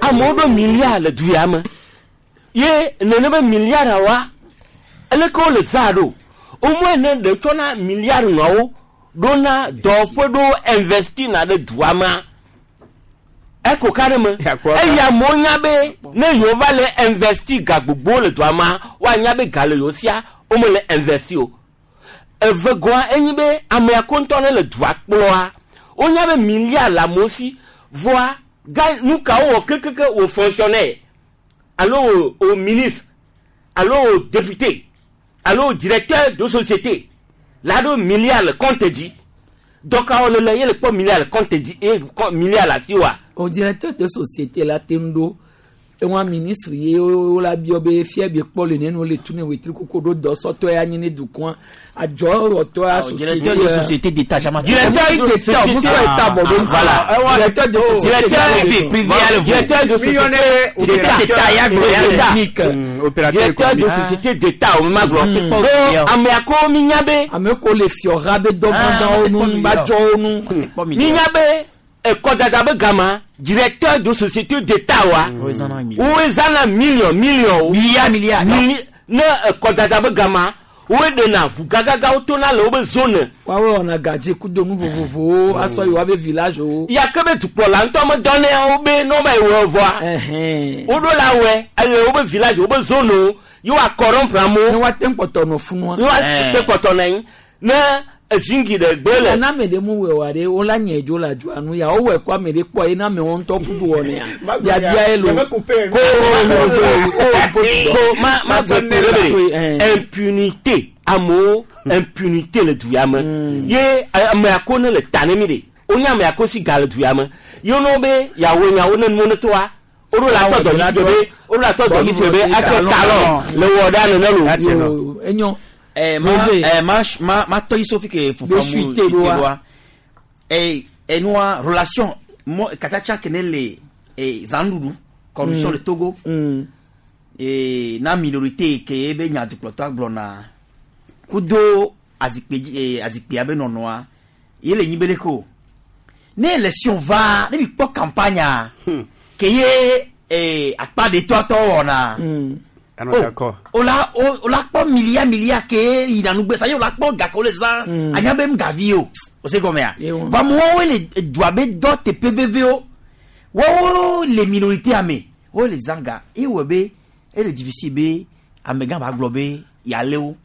amewo ɖo milliard le du ya me. Ye nene be milliard wa eleke wole zã ɖo. Au moins ne ɖe tsɔna milliard nɔwo ɖona dɔwɔƒe ɖo investi na ɖe dua mea. Eko ka ɖe me. Eya amewo nya be ne yewo va le investi ga gbogbo le dua mea, woanya be ga le yewo sia womele investi o. Eve gɔa enyi be amea ko ŋutɔ ne le dua kplɔa, wonya be milliard le amewo si vɔa ga nu ka wowɔ kekeke wò fonctionnaire alo wò wò ministre alo wò député alo wò directeur de société la ɖo milliard le compte dzi. Dɔkawo le le ye le kpɔ milliard le compte dzi eye milliard le asi wa. O directeur de société la te ŋu ɖo ewa ministre ye wo la biɔ be fia bi kpɔ le nenu le tu ne wetri koko ɖo dɔsɔtɔ ya nyi ne dukɔa adzɔwɔtɔ ya société directeur de société d'état jama directeur d'état muso état bɔ ɖo voilà directeur de société privé privé directeur de société d'état ya gblɔ d'état directeur de société d'état o ma gblɔ ko amea ko mi nya be ame ko le fiɔha be dɔgɔdɔwo nu ba dzɔwo nu mi nya be ekɔdada be gama directeur de société d'état wa wo zana million million milliard milliard ne ekɔdada be gama wo ɖena ʋu gagagawo tona le wobe zone. Woawo wɔna gadze kudo nu vovovowo asɔ yi woabe village wo. Yake be dukplɔla ŋutɔ me dɔnɛ wo be ne wobe wɔ vɔa. Woɖo la wɔe ele wobe village wobe zone wo ye woa corrompre amewo. Ne woate kpɔtɔ nɔ funua. Ne woate kpɔtɔ nɔ anyi ne ezingi ɖe gbe le. Na ame ɖe mu wɔ wa ɖe wo la nye dzo le adzɔa nu ya wowɔe kɔ ame ɖe kpɔ ye na ame wo ŋutɔ kudu wɔnɛa biabia ye lo. Ko ko ma ma gbe ku ɖe be impunité amewo impunité le du ya me ye amea ko ne le ta ne mi de wonye amea ko si ga le du ya me ye wo be yawo nyawo ne nuwo ne toa woɖo la tɔ dɔdzi be woɖo la tɔ dɔdzi be atsɔ talɔ le wɔ ɖa nene lo. Enyo. Eh, ma, eh, ma, ma, ma toyi sofi ke fufa mu teloa. Eh, eh, noa relation mo katacha kene le eh zandudu corruption le Togo. Mm. Eh, na minorité ke be nya duploto aglona. Kudo azikpe eh azikpe abe nonoa. Yele nyibele ko. Ne élection va, ne bi po campagne. Hmm. Ke ye eh akpa de to to wona. Mm. Oh, ola ola kpɔ milia milia ke yina nugbe sa ye ola kpɔ gake wole zã anya be ŋgavi o o se gɔmea va amewo le dua be dɔ teƒe vevewo woawo le minorité ame wo le zã ga eye wɔ be ele difficile be amegã ba gblɔ be yale wo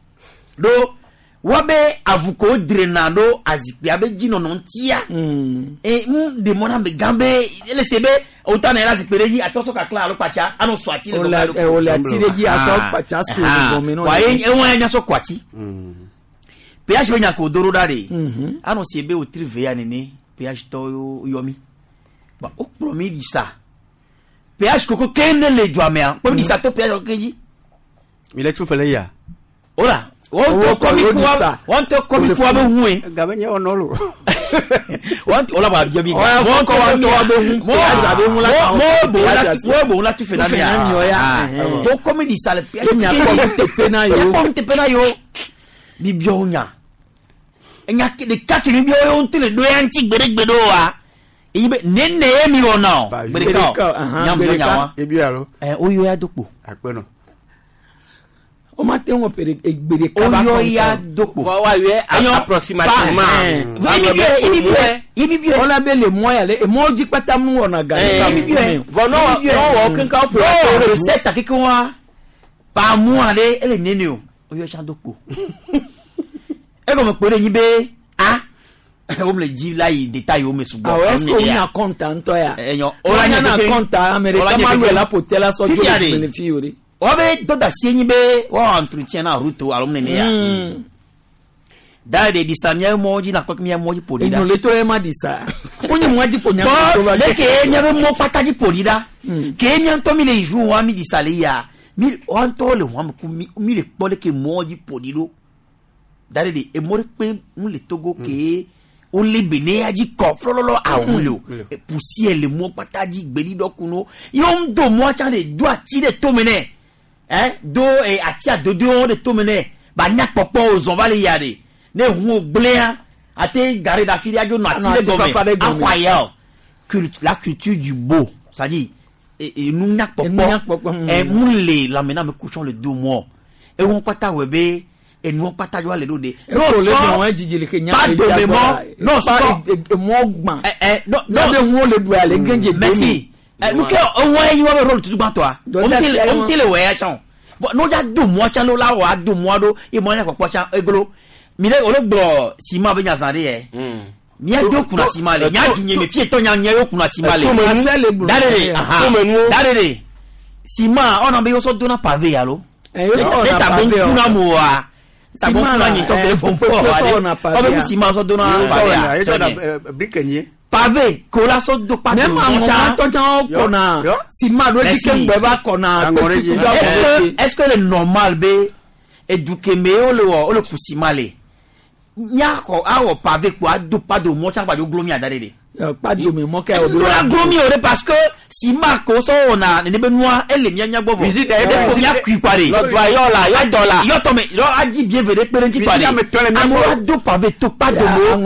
ɖo woabe avuko drena ɖo azikpuia be dzinɔnɔ ŋutia e ŋu ɖe mɔ na amegã be ele se be o ta na yɛrɛ zikpui ɖe dzi atɔ sɔ kakla alo kpatsa anɔ sɔ ati le gɔmɛ ɖo. O le ati ɖe dzi asɔ kpatsa so le gɔmɛ nɔ. Wa ye eŋu ya nya sɔ kɔ ati. Péage be nya ko do ɖo ɖa de. Anɔ se be o tri ve ya nene péage tɔ yɔ mi. Ba o kplɔ mi ɖi sa. Péage koko ke ne le dua mea kplɔ mi ɖi sa to péage koko dzi. Mi le tu fɛlɛ ya. O la. Wɔn tɔ kɔmi kuwa wɔn tɔ kɔmi kuwa be hun ye. Gabe nye wɔnɔ lo. Wɔn o la ba biɛ bi. Wɔn tɔ wɔn tɔ be hun. Mɔ bo la mɔ bo la tu fɛ na mi ya. O kɔmi di sa le. Nya kɔmi tepe na yo. Kɔmi tepe na yo. Mi biɔ o nya. Nya ɖeka ke mi biɔ o ŋutɔ le ɖo ya ŋuti gbeɖegbeɖe o wa. Eyi be nene ye mi wɔ na o. Gbeɖeka o. Nya mi nya wa. Ebi alo. Ɛ o yɔ ya do kpo. Akpɛ nɔ. O ma te ŋu pere egbere kaba kɔn. O yɔ ya do kpo. Wa yɔ approximativement. Ibi biɛ ibi biɛ. Wọ́n bɛ le mɔ yà lɛ mɔ dzi kpata mu wɔna ga. Ibi biɛ. Vɔ n'o wɔ kankan o pere. Recette keke wa par mois ale ele nene o. O yɔ tsa do kpo. E kɔmi kpo de nyi be a o mi le dzi la yi détail o mi sugbɔ. Awɔ est ce que o nya compte ŋutɔ ya? Ɛnyɔ. O la nya compte amɛrika ma lu la po tɛ la sɔ jo le fi o de. Wọ́n bɛ dɔ da se nyi be wọ́n entretien na route alo nene ya. Da de di sa miɛ mɔ dzi na kpɔ miɛ mɔ dzi ƒo ɖi da. Enyo le to ye ma di sa. O nye mɔ dzi ƒo nya. Bɔn le ke miɛ be mɔ kpata dzi ƒo ɖi da. Ke miɛ ŋutɔ mi le yi wa mi di sa le ya mi wa ŋutɔ le wa mi ku mi mi le kpɔ le ke mɔ dzi ƒo ɖi ɖo. Da de de emɔ ɖe kpe mu le Togo ke Wole be ne ya dzi kɔ flɔlɔlɔ awu le o poussière le mɔ kpata dzi gbeɖiɖɔ kunu ye wo do mɔ tsã de do ati ɖe tome nɛ ɛ do ɛ ati adodowo ɖe tome nɛ ba nya kpɔkpɔ o zɔn va le ya de ne ʋu gblẽa ate gare ɖe afi ɖe adzo nɔ ati ɖe gɔme axɔ aya o la culture du beau c'est-à-dire enu nya kpɔkpɔ ɛ mu le lãme na me kutsɔ le do mɔ ewọn kpata wɔ be enuwo kpata yɔ le ɖo de. n'o le dɔn jijili le ke nya le dome mɔ n'o sɔ mɔ gbã. ɛ ɛ n'o n'o ŋun le du ale gɛnjɛ domi. Merci ɛ nuke ewɔ yi wa bɛ rôle tutu gbãtɔa o mi tɛ le wɔ ya tsã o n'o dza do mɔ tsã n'o la wɔ a do mɔ ɖo ye mɔ nya kpɔkpɔ tsã eglo mi ɖe o le gblɔ ciment be nya zã ɖe yɛ. Mía do kunna ciment le nya du nye me fie tɔ nya nye yo kunna ciment le da de de da de de ciment ɔnà be yosɔ donna pavé yalo ne ta bon kunna mo wa ta bon kunna nyi tɔ kele bon pɔ wa de ɔbɛ ku ciment sɔ donna pavé ya pavé kola sɔ do pavé mɔ tsa tɔ tsa kɔna ciment do ti ke ŋgbɛ va kɔna. Est-ce que est-ce que le normal be edukeme wo le wɔ wo le ku ciment le nyakɔ awɔ pavé kpo ado pado mɔ tsa kpa dzo glo mi ada de de. Kpado mi mɔ kɛ o do la glo mi o de parce que ciment ko sɔ wɔna nene be nua ele mia nya gbɔ vɔ. Visite e ko mia kui kpa de. Lɔtɔ yɔ la yɔ dɔ la. Yɔ tɔ mɛ yɔ adi bien ve de kpe ɖe ŋuti kpa de. Amewo ado pavé to kpado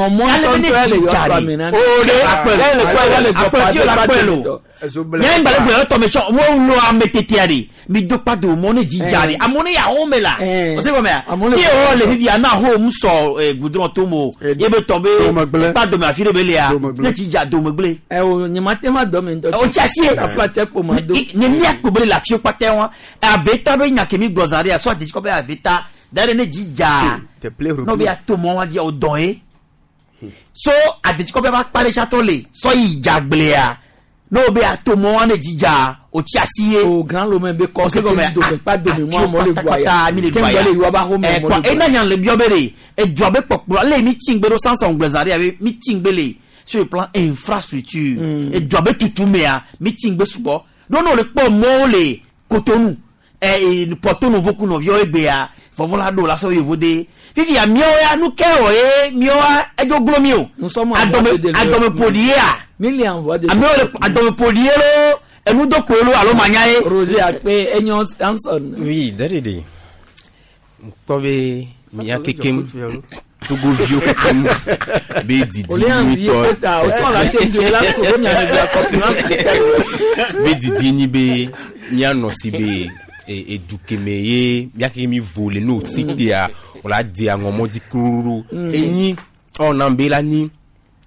mo. Ale be ne dzi dza de. O de akpɛ le kpɛ le akpɛ fi le akpɛ lo. Nye ŋgba le gblɔ yɔ tɔ mɛ tsɔ wo lo ame tetea de mi do kpado mɔ ne dzi dza de amewo ne yawo me la o se gɔmɛ ya ke wɔ le fifi ana ho mu sɔ goudron to mo ye be tɔ be kpado me afi ɖe be lia ne dzi dza dome gblẽ. Ɛ o nye ma te ma dɔ me ŋutɔ. O tsi asi ye. Afla tse kpo ma do. Ne mia kpo be le afi kpata wa aveta be nya ke mi gblɔ zã ɖe ya sɔ adetsi kɔ be aveta da ɖe ne dzi dza n'o be ato mɔ wa dzi o dɔn ye so adetsi kɔ be ba kpa ɖe tsatɔ le sɔ yi dza gblẽa n'o be ato mɔ wa ne dzi dza o tsi asi ye. O grand lomɛ be kɔ se gɔmɛ dome kpa dome mɔ amewo le du aya mi le du aya le yiwa ba xɔ mɛ mɔ le du aya. Ena nya le biɔ be de edua be kpɔkplɔ le mi tsi ŋgbe ɖo sansan gblẽ zã ɖe ya be mi tsi ŋgbe le sur le plan infrastructure edua be tutu mea mi tsi ŋgbe sugbɔ ɖo n'o le kpɔ mɔwo le Cotonou ɛ Porto Novo ku nɔviawo egbea vɔvɔ la ɖo la sɔ yevo de fifia miawo ya nu ke wɔ ye miawoa edzo glo mi o adɔme adɔmeƒoɖi yea amewo le adɔmeƒoɖi ye lo enudokpoe lo alo manya ye. Roger Akpe enyo Hanson. Oui derede nkpɔ be mia kekem togoviwo kekem be didi nyuitɔ be didi nyi be mianɔ si be edu keme ye mia keke mi vo le n'o si tea o la di aŋɔmɔ di kururu enyi ɔna be la nyi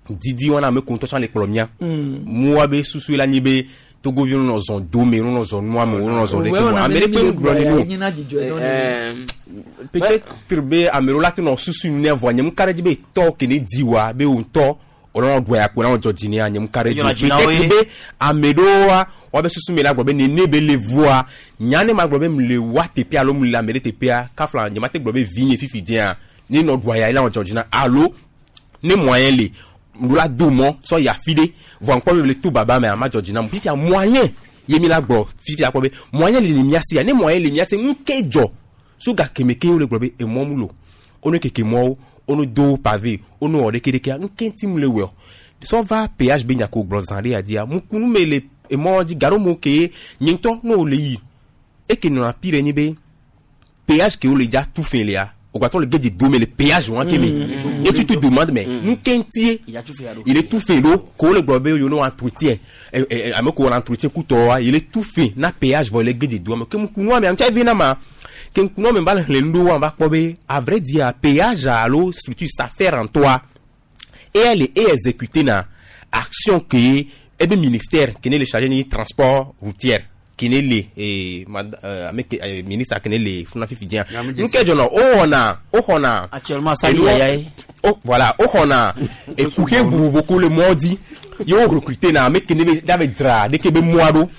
didi wɔna ame ko ŋutɔ tsã le kplɔ mia mua be susu la nyi be togoviwo nɔ zɔn dome nɔ zɔn nua me nɔ zɔn ɖeke mo ame ɖe kpe gblɔ ne no peut-être be ame ɖewo la te nɔ susu ne vɔa nye mu ka ɖe dzi be tɔ ke ne di wa be wo ŋutɔ wòle nɔ ɖua ya kpo na nɔ dzɔ dzi nea nye mu ka ɖe dzi peut-être be ame ɖewoa woabe susu me la gblɔ be nene be le voa nya ne ma gblɔ be mu le wa teƒea alo mu le ame ɖe teƒea kafla nye ma te gblɔ be vi nye fifi dzia ne nɔ ɖua ya ye la nɔ dzɔ dzi na alo ne moyen le ŋu la do mɔ sɔ yi afi ɖe vɔa ŋkpɔ be le to baba mea ma dzɔ dzi na mu fifia moyen ye mi la gblɔ fifia kpɔ be moyen le le mia sia ne moyen le mia si ŋu ke dzɔ so gake me ke wo le gblɔ be emɔ mu lo wo ne keke mɔwo wo ne do pavé wo ne wɔ ɖeke ɖekea ŋu ke ŋuti mu le wɔ sɔ va péage be nya ko gblɔ zã ɖe ya dzia mukunu me le emɔ dzi gaɖo mo ke nye ŋutɔ ne wo le yi eke nɔna pi ɖe nyi be péage ke wo le dza tu fɛ lea o gbatɔ le gede dome le péage wɔn ke me et tu te demandes mais nu ke ŋutie il est tout fait ɖo ko wo le gblɔ be yewo ne entretien ɛ ɛ ame ko wɔ entretien kutɔ wa il est tout fait na péage vɔ le gede doa me ke mukunua me ŋutia vi na ma ke ŋkunua me va le xlẽ nu ɖo wa va kpɔ be à vrai dire péage alo structure s'affaire en toi et elle est exécutée na action ke ebe ministère ke ne le chargé ni transport routier kene le eh mad ame ministre kene le funa fifi dia nke jono o wona o xɔna actuellement ça y ya oh voilà o xɔna e kuke vovovo ko le mɔdi ye wo recruter na ame kene be da be dzra de ke be mɔa ɖo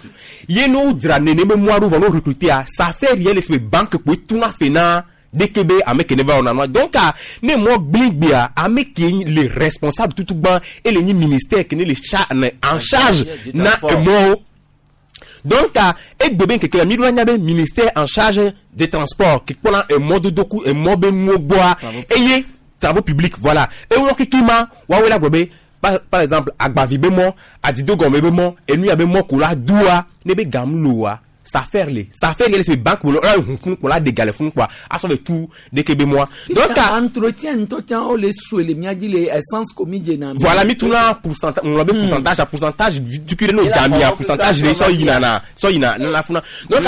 ye no dzra nene be mɔa ɖo vɔ no recruter a ça fait rien le se banque ko tuna fe na de ke be ame kene va wɔna nua donc ne mɔ gblingbea ame ke le responsable tutu gbã ele nyi ministère kene le cha en charge na emɔwo. Donc, et bébé que la mi ministère en charge des transports qui prend un mode de coup un mode mot bois et Travaux publics, voilà. Ewɔ keke ma woawoe la gblɔ be par, par exemple agbavi be mɔ, adidogɔme be mɔ, enu ya be mɔ ko la doa ne be gam loa safer le safer yɛlɛ se banque bolo ɔla hun funu kpɔ la de gale funu kpɔa asɔ be tu deke be mɔa. Donc entretien ŋutɔ tsã wo le sue le mía dzi le essence ko mi dzena. Voilà, mi tuna pourcentage, ŋlɔ be pourcentage a pourcentage tukui ɖe n'o dzamia pourcentage de sɔ yina na sɔ yina nana funa. Donc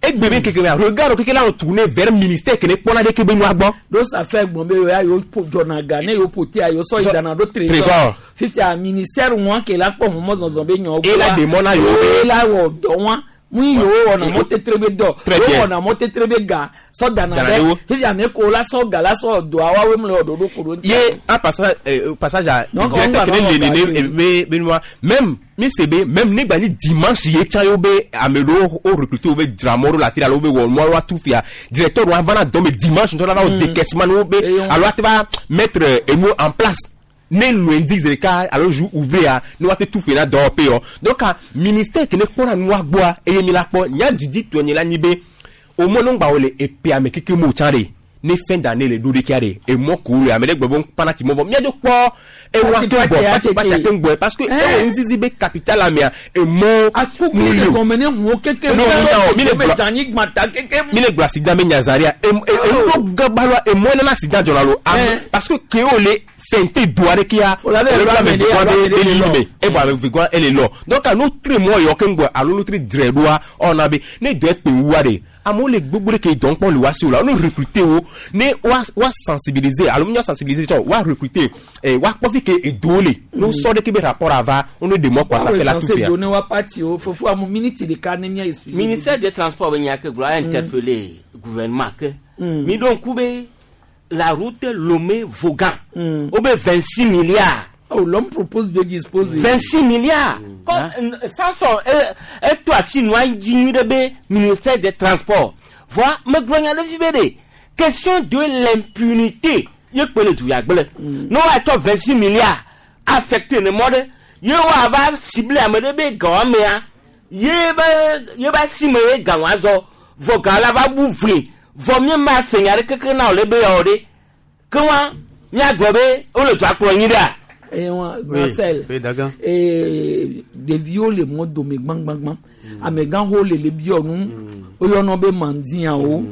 egbe be keke mea regard keke la tourner vers ministère kene kpɔna ɖe ke be nua gbɔ. Do safer gbɔn be ya yewo dzɔna ga ne yewo ƒo tea yewo sɔ yi dana ɖo trésor. Fifia ministère ŋua ke la kpɔ mɔzɔzɔ be nyɔ. Ela de mɔ na yewo. Ela wɔ dɔ wa. Mu yewo wɔna mɔtetre be dɔ yewo wɔna mɔtetre be ga sɔ dana ɖe fifi ame ko la sɔ ga la sɔ doa woawoe mu le wɔ ɖoɖo ko ɖo ŋuti. Ye un passage euh, passage à directeur kene le nene be be nua même mi se be même ne gba ni dimanche ye tsã yewo be ame ɖewo wo recruter wo be dzra mɔ ɖo le afi ɖe alo wo be wɔ mɔ wa tu fia directeur wa va na dɔ me dimanche ŋutɔ la va wɔ décaissement ne wo be alo ate va mettre enu en place. Ne lundi zeka alo jour ouvert ne wa te tout fait na dɔwɔƒe yɔ. Donc ministère kene kpɔna nua gbɔa eye mi la kpɔ nya didi tɔ nye la nyi be o mɔ ne ŋgba wo le epea me keke mo tsã ɖe ne fin d'année le ɖo ɖeka ɖe emɔ ko le ame ɖe gblɔ be ŋkpana ti mɔ vɔ miadzo kpɔ ewa ke gbɔ pati pati ate ŋgbɔe parce que ewɔ ŋzizi be capital amea emɔ mu li o ne mi le gblɔ accident be nyazaria enu ɖo gabaloa emɔ nana accident dzɔna lo parce que kewo le fente doa ɖe kia ole ame vegɔa be be li me evɔ ame vegɔa ele lɔ donc no tre mɔ yɔ ke ŋgbɔ alo no tre dzre ɖoa ɔna be ne dɔ ekpe wua ɖe amewo le gbogbo ɖe ke dɔn kpɔm le wa si o la wo ne recruter wo ne wa wa sensibiliser alo mi sensibiliser tsɔ wa recruter ɛ wa kpɔ fi ke edowo le ne wo sɔ ɖe ke be rapport ava wo ne de mɔ kɔ asa fɛ la tu fia. Ministère des transports be nya ke gblɔ a interpeller gouvernement ke mi ɖo ŋku be la route Lomé-Vogan mm. Au vingt-six milliards. Oh, l'homme propose de disposer. vingt-six milliards. Mm. Comme, ça sont, et toi, si nous avons de ministère des Transports. Voilà, mais question de l'impunité. Il peut le tout. Nous avons vingt-six milliards affectés le monde. Il va cibler à me de Il va cibler Gawazo. Vogan la va ouvrir. Vɔ mi ma se nya ɖe keke na wòle be yawo ɖe ke wa miagblɔ be wole dua kplɔ nyi ɖea. Ewa Marcel ee ɖeviwo le mɔ dome gbãgbãgbã amegãxowo le le biɔ nu woyɔnɔ be mandiawo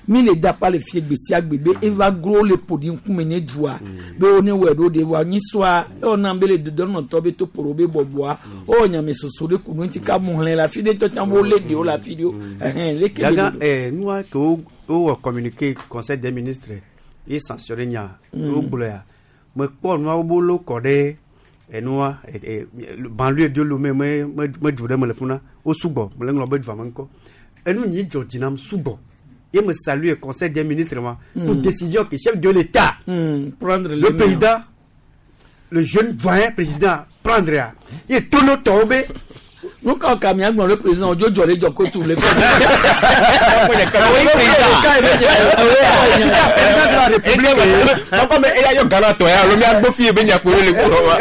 mi le da pa le fie gbe sia gbe be eva gro le ƒo ɖi ŋkume ne dua be wo ne wɔe ɖo ɖe vɔa nyisɔa ewɔna be le dodɔnɔtɔ be to ƒo be bɔbɔa wowɔ nyamesoso ɖe ku nu ŋuti ka mu hlẽ le afi ɖe tɔ tsã wo lé ɖewo le afi ɖewo ɛhɛn leke le do. Ɛɛ nua ke wo wowɔ communiqué conseil des ministres ye sanctionné nya wo gblɔ ya mekpɔ nuawo bolo kɔ ɖe enua banlieue de Lomé me me me du ɖe me le funa wo sugbɔ me le ŋlɔ be dua me ŋkɔ enu nyi dzɔ dzi nam sugbɔ ye me salue conseil des ministres ma pour décision que chef de l'État prendre le président le jeune doyen président prendre ya ye tono tɔwo be. Nuka ka mi agbɔn le président ojo jɔ le jɔ ko tu le. Papa mais eya yɔ Ghana tɔ ya alo mi agbɔ fi ye be nya ko le kplɔ wa.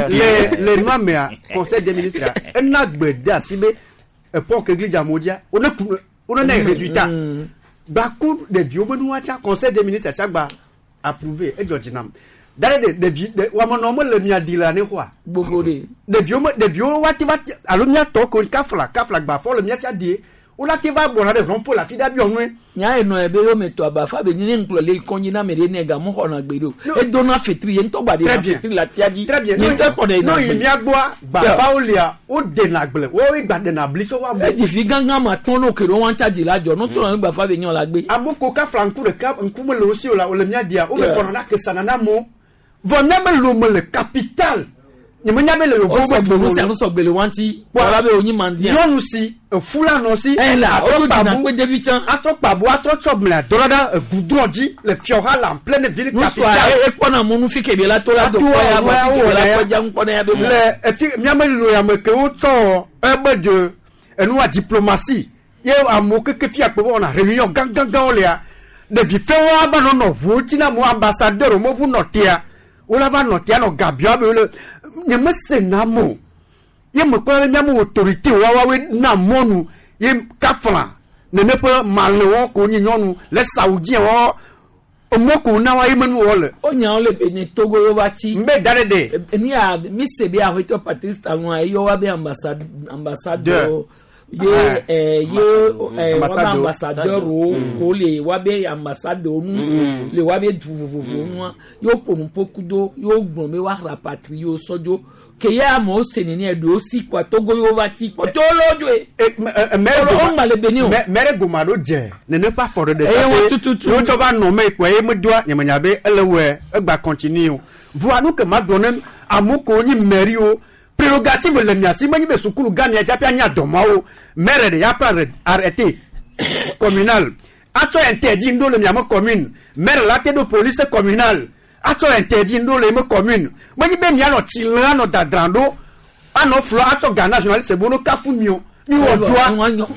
Le le nua mea conseil des ministres ena gbe de asi be epɔ ke gli dzamo dzia wo ne ku wo ne na résultat gbaku ɖeviwo be nua tsa conseil des ministres tsa gba approuvé edzɔ dzi nam. Dare de ɖevi de wamenɔ mele mia di le ne xɔa. Gbogbo de. Ɖeviwo me ɖeviwo woate va alo miatɔ ko kafla kafla gbafɔ le miatsa die wo la te va gbɔna ɖe rɔmpo le afi ɖe abiɔ nue. Nya enɔ ye be yome tɔ abafa be ne ŋkplɔ le kɔnyi na ame ɖe ne gamu xɔna gbe ɖo. Edona fetri ye ŋutɔ gba de na fetri le atia dzi. Très bien. Ye ŋutɔ kpɔ ɖe na gble. No yi mia gbɔa gbafawo lia wo dena gble wo gba dena bli tso wa mo. Edzi gãgã ma tɔn no ke ɖo wɔn tsa dzi la dzɔ no tɔ na gbafa be nyɔ la gbe. Amewo ko kafla ŋku ɖeka ŋku mele wo si o la wo le mia dia wo me kɔnɔ na kesana na mo. Vɔ mía me Lomé le capitale nye me nya be le yovo be du mo sɔgbe sɔgbe le wanti wala be onyi mandia nyɔnu si efu la nɔ si eh la o dina kpe devi tsã atrɔ kpabo atrɔ tsɔ mlea dɔ ɖa egudrɔn dzi le fiɔha la en pleine ville capitale nusua ekpɔna mɔnu fi ke la to la do fɔ ya vɔ fi ke la kpɔ dza ŋkpɔna ya be mo le efi mía me lo ya me ke wotsɔ ebe de enua diplomatie ye amewo keke fia kpe wɔna réunion gãgãgãwo lea ɖevi fɛnwo ava nɔ nɔ ʋuwo tsi na mo ambassadeur mo ʋu nɔ tea wòle va nɔ tea nɔ gabiɔ be wòle nye me se na mo ye me kpɔ be miame autorité woawoe na mɔnu ye kafla nene ƒe malewɔ ko nyi nyɔnu le saoudien wɔ Omoko na wa imenu wole. O nya ole be ne Togo yo bati. Mbe dare de. Ni a mi se be ahweto Patrice Talon yo wa be ambassade ambassadeur. Ye eh ye eh wa ambassadeur o ko le wa be ambassadeur nu le wa be du vovovo nu yo pompo kudo yo gbon me wa rapatrier sojo ke ya mo se ni e do si kwa Togo yo bati ko to lojo e mere o ma le beni o mere goma do je ne ne pas fort de ça yo to va no me ko e me doa nyamanya be ele we e gba continue voa nu ke ma do ne amuko ni meri o prérogative le miasi mani be sukulu gani ya japia nya domawo mere de ya pas arrêté communal ato interdit ndo le miama commune mere la te do police communale ato interdit ndo le me commune mani be mia no tilan no dadrando ano flo ato Ghana journaliste bono kafu mio mi wo doa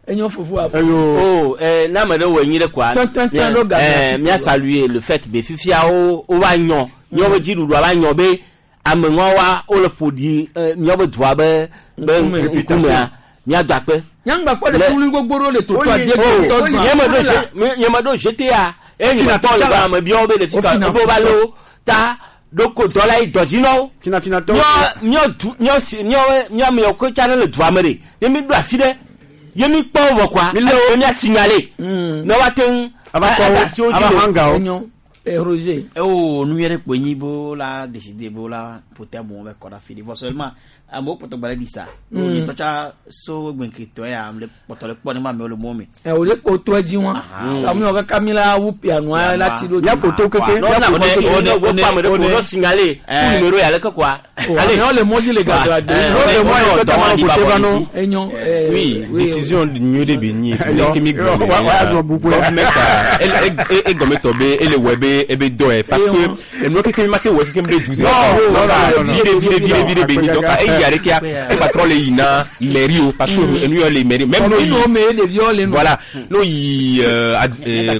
enyo fufu a oh eh na me de wo nyi de kwa eh mia saluer le fait be fifia o o ba nyo nyo be jiru do ba nyo be ame wa o le fodi nyo be doa be be nkume mia do akpe nyangba kwa le kulu gbogboro le toto adie to to nye me do nye me do G T A e ni to le ba me bio be le fika o ba lo ta doko dola i dojino fina fina to nyo nyo nyo nyo nyo me ko cha le doa me de ye mi do afi de ye mi kpɔ wɔ kwa e mi a signaler ne wa ten ava kɔ ava hanga o eh Roger oh nous yere kwenyi bo la décider bo la pote bon be kora fili bo seulement amo poto gbale disa ni tocha so gbenke to ya am le poto le po ni ma me o le mo mi eh o le po to eji won ta mi o ka kamila wu piano la ti lo ya poto keke ya poto o ne o pa me de ko signaler numéro ya le quoi allez on le moji le gars de le mo ko ta ma pote ba no enyo oui décision nyu de beni c'est que mi government e e gomme tobe e le web e be do parce que no keke mi ma te we keke mi de douze vire vire vire vire beni donc e yare kia e patron le ina mairie parce que nous les mairie même nous voilà nous y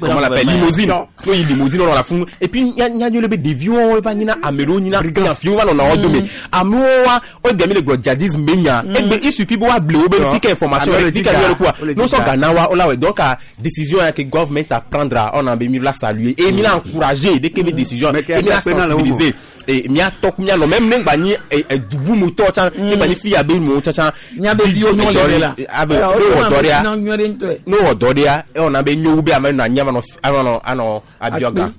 comment on l'appelle limousine nous y limousine on la fond et puis y a y a le dévion va nina amero nina fion va on a ordonné amoa o demi le djihadisme menya et ben il suffit pour bleu be fika information fika le quoi nous sommes Ghana wa la donc décision que government à prendre on a mis la saluer et mis la encourager dès que les décisions et mis la sensibiliser et mia tok mia no même nengba ni dubu moto chan nengba ni fi abe mo chan nya be vi onyo le la abe no odoria no odoria e ona be nyowu be ame na nya no ano ano abioga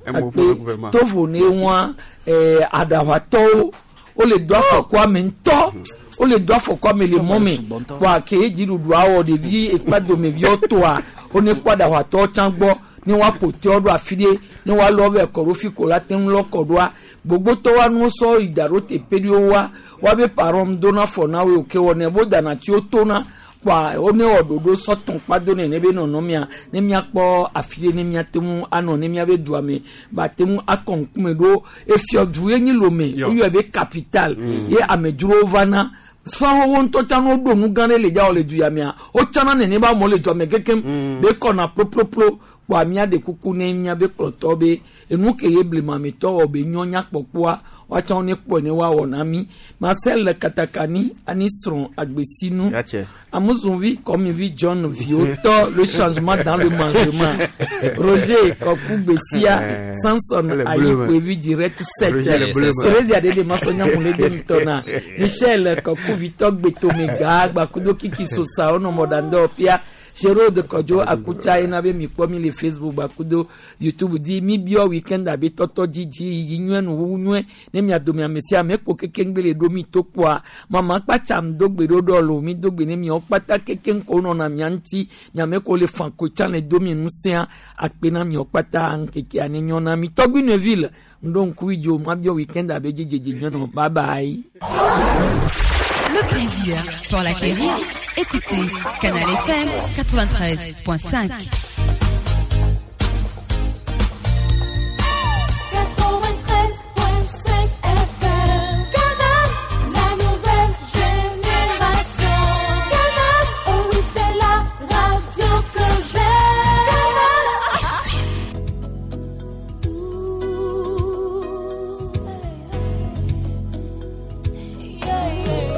tovo ne won eh adawato o le do afọ me nto o le do afọ me le momi kwa ke jiru do awo de vi epado me vi oto a oni padà wà tọ́ tán gbọ́ ní wàá pòtẹ́ ọdún àfidé ní wàá lọ́ọ́ bẹ̀ kọ̀rọ̀ fíkò láti ń lọ́kọ̀ọ́dọ́ wa gbogbo tó wà ní sọ ìdàrú tẹ péri ó wá wà bẹ pàrọ̀ ń dóná fọ̀ náà wò ké wọ́n ní bó dànà tí ó tó ná kpa ó ní ọ̀dọ̀dọ̀ sọ̀tún kpadó ní níbi nọ̀nà mìà ní mìà kpọ̀ àfidé ní mìà tẹ́mu anọ̀ ní mìà bẹ du àmì bà tẹ́mu akọ̀nkùnmẹ̀ ɖo efiɔdu ye nyi lome oyɔ be capital ye amedzrowo va na sanwó ŋutɔ tsã no ɖo nu gã ɖe le dza wòle du ya mea wotsana nene ba amewo le dua me kekem be kɔna ploploplop kpoa mía ɖe kuku ne mía be kplɔtɔ be enu ke ye blemametɔ wɔ be nyɔ nyakpɔkpɔa woatsã wo ne kpɔe ne woawɔ na mí Marcel Katakani ani srɔ̃ agbesinu Amuzunvi Kɔmivi John Viotɔ le changement dans le mangement Roger Kɔku Gbesia Samson Ayikpevi direct sept Thérésia Adede Masonya Mulede Ntɔna Michel Kɔku Victor Gbetomega Gbakudo Kiki Sosa Onomɔdandɔ Pia Gérard Kodjo Akucha ena be mi kpɔ mi le Facebook bakudo YouTube di mi biɔ weekend abe tɔtɔ dzidzi yi nyuie nu wu nyuie ne mia dome ame sia ame kpo kekeŋgbe le ɖo mi to kpoa mama kpatsam do gbe ɖo ɖɔ lo mi do gbe ne miawo kpata kekeŋ ko nɔna mia ŋuti miame ko le fan ko tsã le do mi ŋusẽa akpe na miawo kpata ŋkekea ne nyɔ na mi tɔgbi Neville ŋɖo ŋku idzo ma biɔ weekend abe dzidzedze nyuie nɔ bye bye. Le plaisir pour l'acquérir, écoutez Canal F M quatre-vingt-treize point cinq. quatre-vingt-treize point cinq F M. Canal, la nouvelle génération. Canal, oh oui, c'est la radio que j'aime. Canal. Yeah, yeah.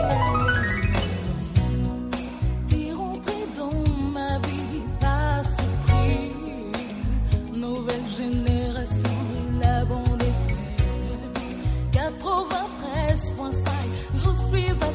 T'es rentré dans ma vie, pas si à